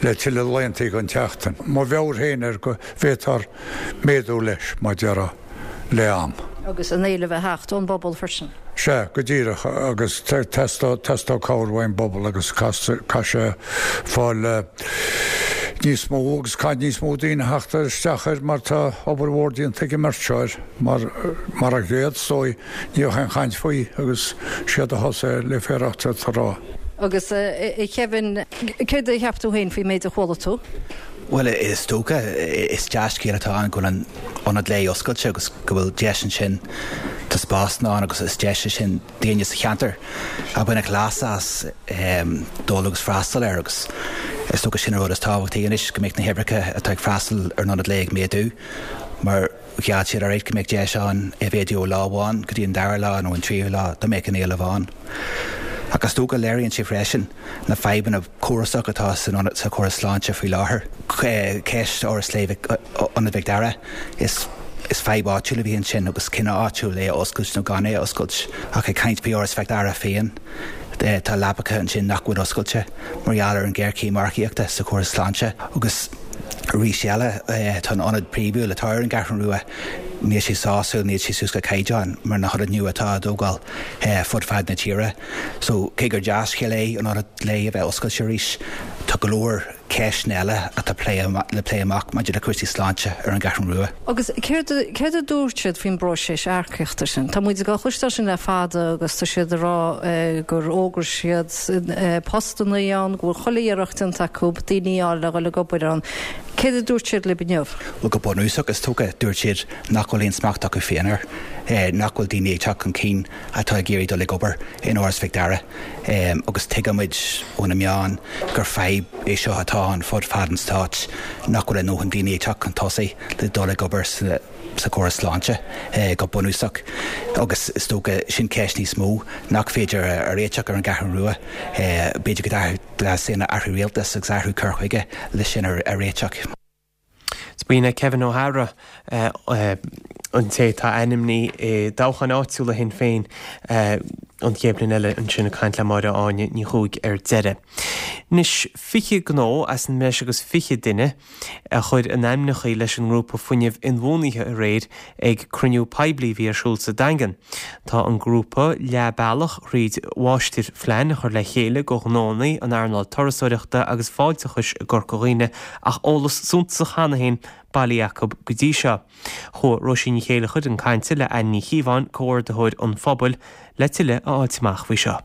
le tuilleadh laethanta don tseachtain. Mo mheabhair féin air go bhféadfar méadú leis, mar a déarfá, le am. Agus an éileamh a theacht ón bpobal freisin. Sea, go díreach, agus teastóidh cabhair uaidh an bpobal agus caithfidh sé fáil le. níos mó agus caithfidh níos mó daoine theacht isteach air mar tá obair mhór déanta ag an mbeirt seo air mar mar a gcéad is dóigh ní bheadh aon chaint faoi agus siad a thosaigh le féarach a rá. Agus a Kevin, céard a cheap tú féin faoin méid a chuala tú? Bhuel, is dócha, is dea-scéal atá ann go bhfuil an ionad lae oscailte agus go bhfuil deis ansin, tá spásanna ann agus is deis é sin daoine sa cheantar a bhainfeadh leas as dul agus freastal air agus is dócha sin an rud is tábhachtaí anois, go mbeadh na huimhreacha atá ag freastal ar an ionad lae ag méadú mar gheall siad alright go mbeadh deis ann é a mhéadú ó lá amháin go dtí an dara lá nó an tríú lá dá mbeadh an éileamh ann. Ach is dócha léiríonn sé freisin na fadhbanna córasacha atá san ionad sa chóras sláinte faoi láthair. Ceist Áras Lae Ionad Mhic Dara, is is fadhb áitiúil a bhí ansin agus cinneadh áitiúil é a oscailt nó gan é a oscailt. Ach ag caint faoi Áras Mhic Dara féin, tá leapacha ansin nach bhfuil oscailte mar gheall ar an ghéarchéim earcaíochta sa chóras sláinte agus arís eile tá an ionad príomhúil atá ar an gCeathrú Rua, níl sé sásúil, níl sé suas go caighdeán mar na hionaid nua atá á dtógáil fud fad na tíre. So, cé gur dea-scéal é an ionad lae a bheith oscailte arís, tá go leor ceisteanna eile atá le plé amach maidir le cúrsaí sláinte ar an gCeathrú Rua. Agus céard céard a dúirt siad faoin bpróiseas earcaíochta sin? Tá muid ag cloisteáil sin le fada agus tá siad ag rá gur fhógair siad postanna ann, go bhfuil chuile iarracht déanta acu daoine a fháil le dhul ag obair ann. Céard a dúirt siad libh inniu? Bhuel, go bunúsach, is dócha, dúirt siad nach bhfuil aon smacht acu féin air, nach bhfuil daoine ag teacht chun cinn atá ag iarraidh dul ag obair in Áras Mhic Dara agus tuigimid ó na meáin gur fadhb é seo atá ann fud fad an stáit, nach bhfuil a ndóthain daoine ag teacht chun tosaigh le dul ag obair sa chóras sláinte go bunúsach agus is dócha sin ceist níos mó nach féidir a réiteach ar an gCeathrú Rua. B'fhéidir go dteastaíonn athrú rialtais agus athrú cur chuige le sin a réiteach. Is b'in é Kevin O'Hara, an té atá ainmnithe i dtoghcháin áitiúla Shinn Féin an chéad bhliain eile, ansin ag caint le Máire Áine Ní Chuaig ar deireadh. Anois, 20 gnó as an mbreis agus 20 duine a chuir a n-ainmneacha leis an ngrúpa fuinnimh inbhuanaithe aréir ag cruinniú poiblí a bhí ar siúl sa Daingean. Tá an grúpa leath bealach thríd mháistirphlean a chur le chéile do ghnónna an earnáil turasóireachta agus fáilteachais i gCorca Dhuibhne ach eolas suntasach cheana féin bailithe acu go dtí seo. Chuaigh Róisín Ní Chéilleachair chun cainte le Anne Ní Chíobháin, Comhordaitheoir an Phobail, le tuilleadh a fháilt amach faoi seo.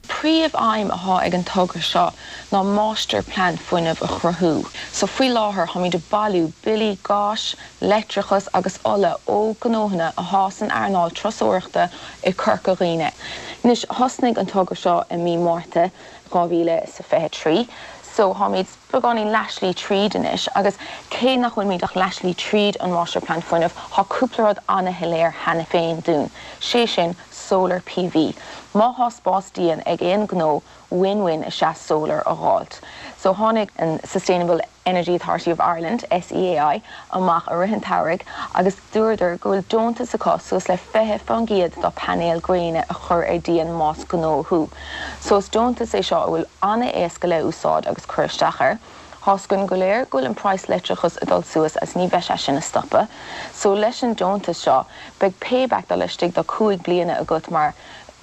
Príomh-aidhm athá ag an togra seo ná máistir-plean fuinnimh a chruthú. So faoi láthair tháimid ag bailiú billí gáis, leictreachas agus ola ó gnóthanna athá san earnáil turasóireachta i Corca Dhuibhne. Anois thosnaigh an togra seo i mí Márta 2023 so tháimid beagáinín leathshlí tríd anois agus cé nach bhfuilimid ach leathshlí tríd an máistir-plean fuinnimh thá cúpla rud ana-shoiléir cheana féin dúinn, sé sin Solar PV. Má thá spás díon ag aon gnó, win-win is ea solar a dh'fháilt. So tháinig an Sustainable Energy Authority of Ireland, SEAI, amach i rith an tsamhraidh agus dúradar go bhfuil deontas acu suas le 20% do painéil gréine a chur ar díon más gnó thú. So is deontas é seo a bhfuil ana-éasca le úsáid agus cur isteach air. Thá's againn go léir go bhfuil an praghas leictreachas ag dul suas agus ní bheidh sé sin ag stopadh. So leis an deontas seo beidh payback do laistigh de 5 bliana agat mar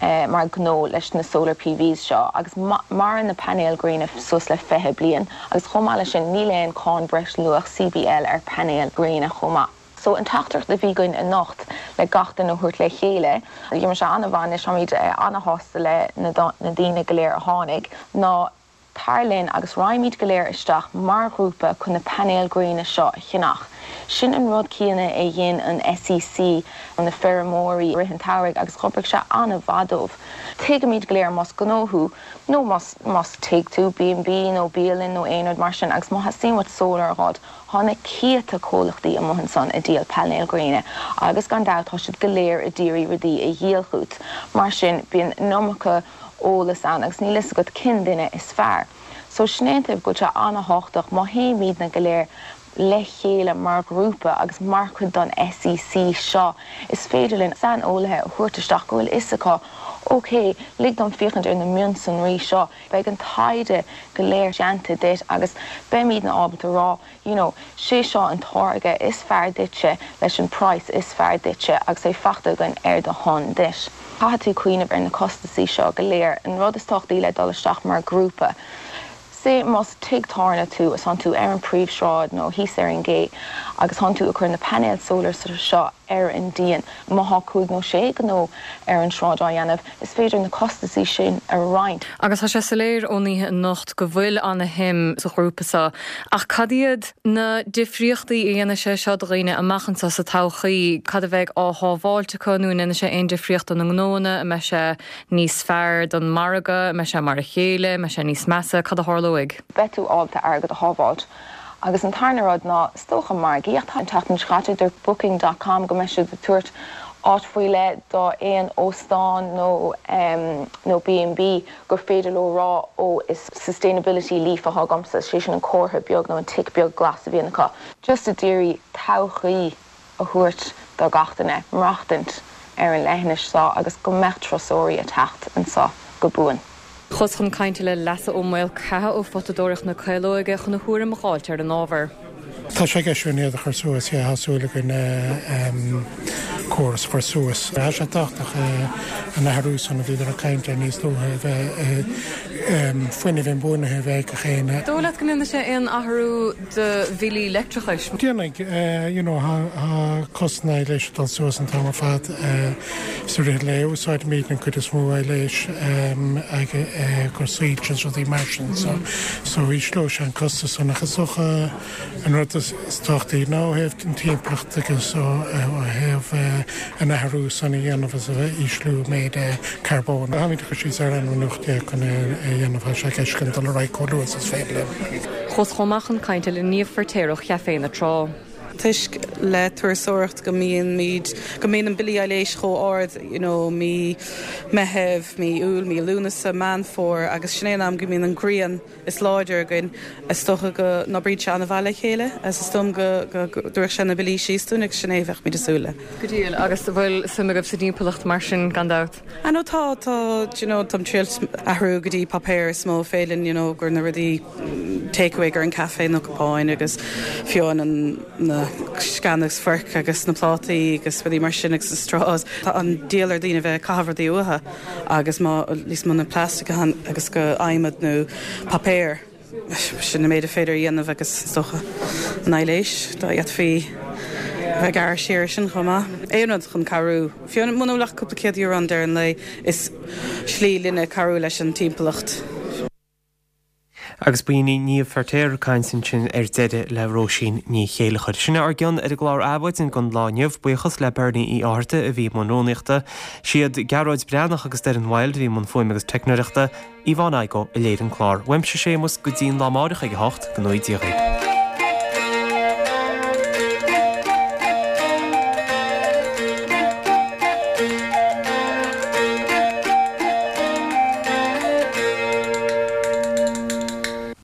mar gnó leis na solar PVs seo agus maireann na painéil gréine suas le 20 bliain agus chomh maith leis sin níl aon cáin breis luach CBL ar painéil gréine chomh maith. So an teachtaireacht a bhí againn anocht le gach duine a thabhairt le chéile, d'imir sé an-mhaith anois, táimid an-shásta le na daoine go léir a tháinig, ná Tar linn agus raghaimid go léir isteach mar ghrúpa chun na painéil gréine seo a cheannach. Sin an rud céanna a dhein an SEC, na feirmeoirí, i rith an tsamhraidh agus dh'oibrigh sé an-mhaith dóibh. Tuigimid go léir más gnó thú nó más más tigh tú, B&B nó bialann nó aon rud mar sin agus má theastaíonn uait solar a dh'fháilt, thá na céadta comhlachtaí amuigh ansan ag díol painéil gréine agus gan dabht tá siad go léir a d'iarraidh rudaí a dhíol chút. Mar sin bíonn an iomarca eolas ann agus níl fhios agat cén duine is fearr. So sin é an taobh go bhfuil sé an-thábhachtach má théimídne go léir le chéile mar ghrúpa agus mar chuid don SEC seo is féidir linn saineolaithe a thabhairt isteach go bhfuil fhios acu ok lig dom féachaint ar na mionsonraí seo beidh an taighde go léir déanta duit agus beimídne ábalta rá you know, sé seo an táirge is fearr duitse leis an praghas is fearr duitse agus é faighte againn ar do shon duit. Caithfidh tú cuimhneamh ar na costasaí seo go léir. An rud is tábhachtaí le dul isteach mar grúpa. Say más tigh tábhairne tú is tánn tú ar an príomhshráid nó thíos ar an gcé agus tánn tú ag cur na painéil solar seo ar an díon, má thá cúig nó sé gnó ar an sráid á dhéanamh, is féidir na costasaí sin a roinnt. Agus tá sé soiléir ón oíche anocht go bhfuil ana-shuim sa ghrúpa seo. Ach cad iad na difríochtaí a dhéanfaidh sé seo do dhaoine amach anseo sa todhchaí? Cad a bheidh á shábháilt acu nó an ndéanfaidh sé aon difríocht do na gnóanna? An mbeidh sé níos fearr don margadh? An mbeidh sé mar a chéile? An mbeidh sé níos measa? Cad a tharlóidh? Beidh tú ábalta airgead a shábháilt. Agus an tarna rud ná, is dócha, margaíocht. An tseachtain seo caite, dúirt Booking dot com go mbeidh siad ag tabhairt áit faoi leith do aon óstán nó nó B&B gur féidir leo rá ó is sustainability leaf atá agamsa, sé sin an comhartha beag nó an tic beag glas a bhíonn acu. Just a d'iarraidh todhchaí a thabhairt do gach duine maireachtaint ar an leithinis seo agus go mbeadh turasóirí ag teacht anseo go buan. Chuas chun cainte le Leasa Ó Maolchatha ó Photadóireacht na Caolóige chun a thuairim a dh'fháilt ar an ábhar. Tá sé i gceist againn iad a chur suas, yeah, tá súil againn córas a chur suas. Tá sé tábhachtach an athrú san a bhíodar ag caint air níos luaithe a bheith fuinneamh inbhuanaithe a bheith ag gach éinne. Dóigh leat go ndéanfaidh sé aon athrú do bhillí leictreachais? Déanfaidh, you know, tá costas an aibhléis ag dul suas an t-am ar fad sa rith lae. Úsáidimid an cuid is mó aibhléis ag cur soilse is rudaí mar sin so so ísleoidh sé an costas san ach is dócha an rud is tábhachtaí ná ó thaobh an timpeallacht agus ó thaobh an athrú san a dhéanamh is a bheith ísliú méid carbóin. Táimid ag cur síos ar ainmniúchán chun é a dhéanamh, tá sé i gceist againn dul ar aghaidh chomh luath is is féidir linn. Chuas chomh maith chun cainte le Niamh Feirtéar ó Chaifé na Trá. Toisc le turasóireacht go mbíonn go mbíonn an billí aibhléis chomh ard you know mí Meitheamh, mí Iúil, mí Lúnasa, Meán Fómhair agus sin é an am go mbíonn an ghrian is láidir againn. Is dócha go n-oibríonn sé an-mhaith le chéile agus is dóigh liom go dtabharfadh sé na billí síos dúinn agus sin é a bheadh muid ag súil le. Go diail, agus an bhfuil suim agaibh sa dtimpeallacht mar sin gan dabht? Ah no tá, tá, do you know, táim triail athrú go dtí páipéar is mó féidir linn, you know, gur na rudaí take away gur an caife nó cupáin agus fiú an na sceana agus forc agus na plátaí agus rudaí mar sin agus na straws. Tá an diabhal ar daoine bheith ag caitheamh rudaí uathu agus má níos mó na plastic agus go adhmad nó páipéar. Sin an méid a féidir a dhéanamh agus is dócha an aibhléis, dá bhféadfaí a bheith ag gearradh siar ar sin chomh maith. Aon rud chun cabhrú, fiú muna bhfuil ach cúpla €100 ann deireadh an lae, is slí linne cabhrú leis an timpeallacht. Agus b'in í Niamh Feirtéar ag caint ansin ar deireadh le Róisín Ní Chéilleachair. Sin é ár gcion ar an gclár Adhmhaidin don lá inniu. Buíochas le Bernie Uí Fhátharta a bhí i mbun rúnaíochta. Siad Gearóid Breathnach agus Doireann Wilde a bhí i mbun fuaime agus teicneoireachta. Yvonne Igoe a léirigh an clár. Uaimse Séamus go dtí an lá amáireach ag a hocht, go ngnóthaí Dia dhaoibh.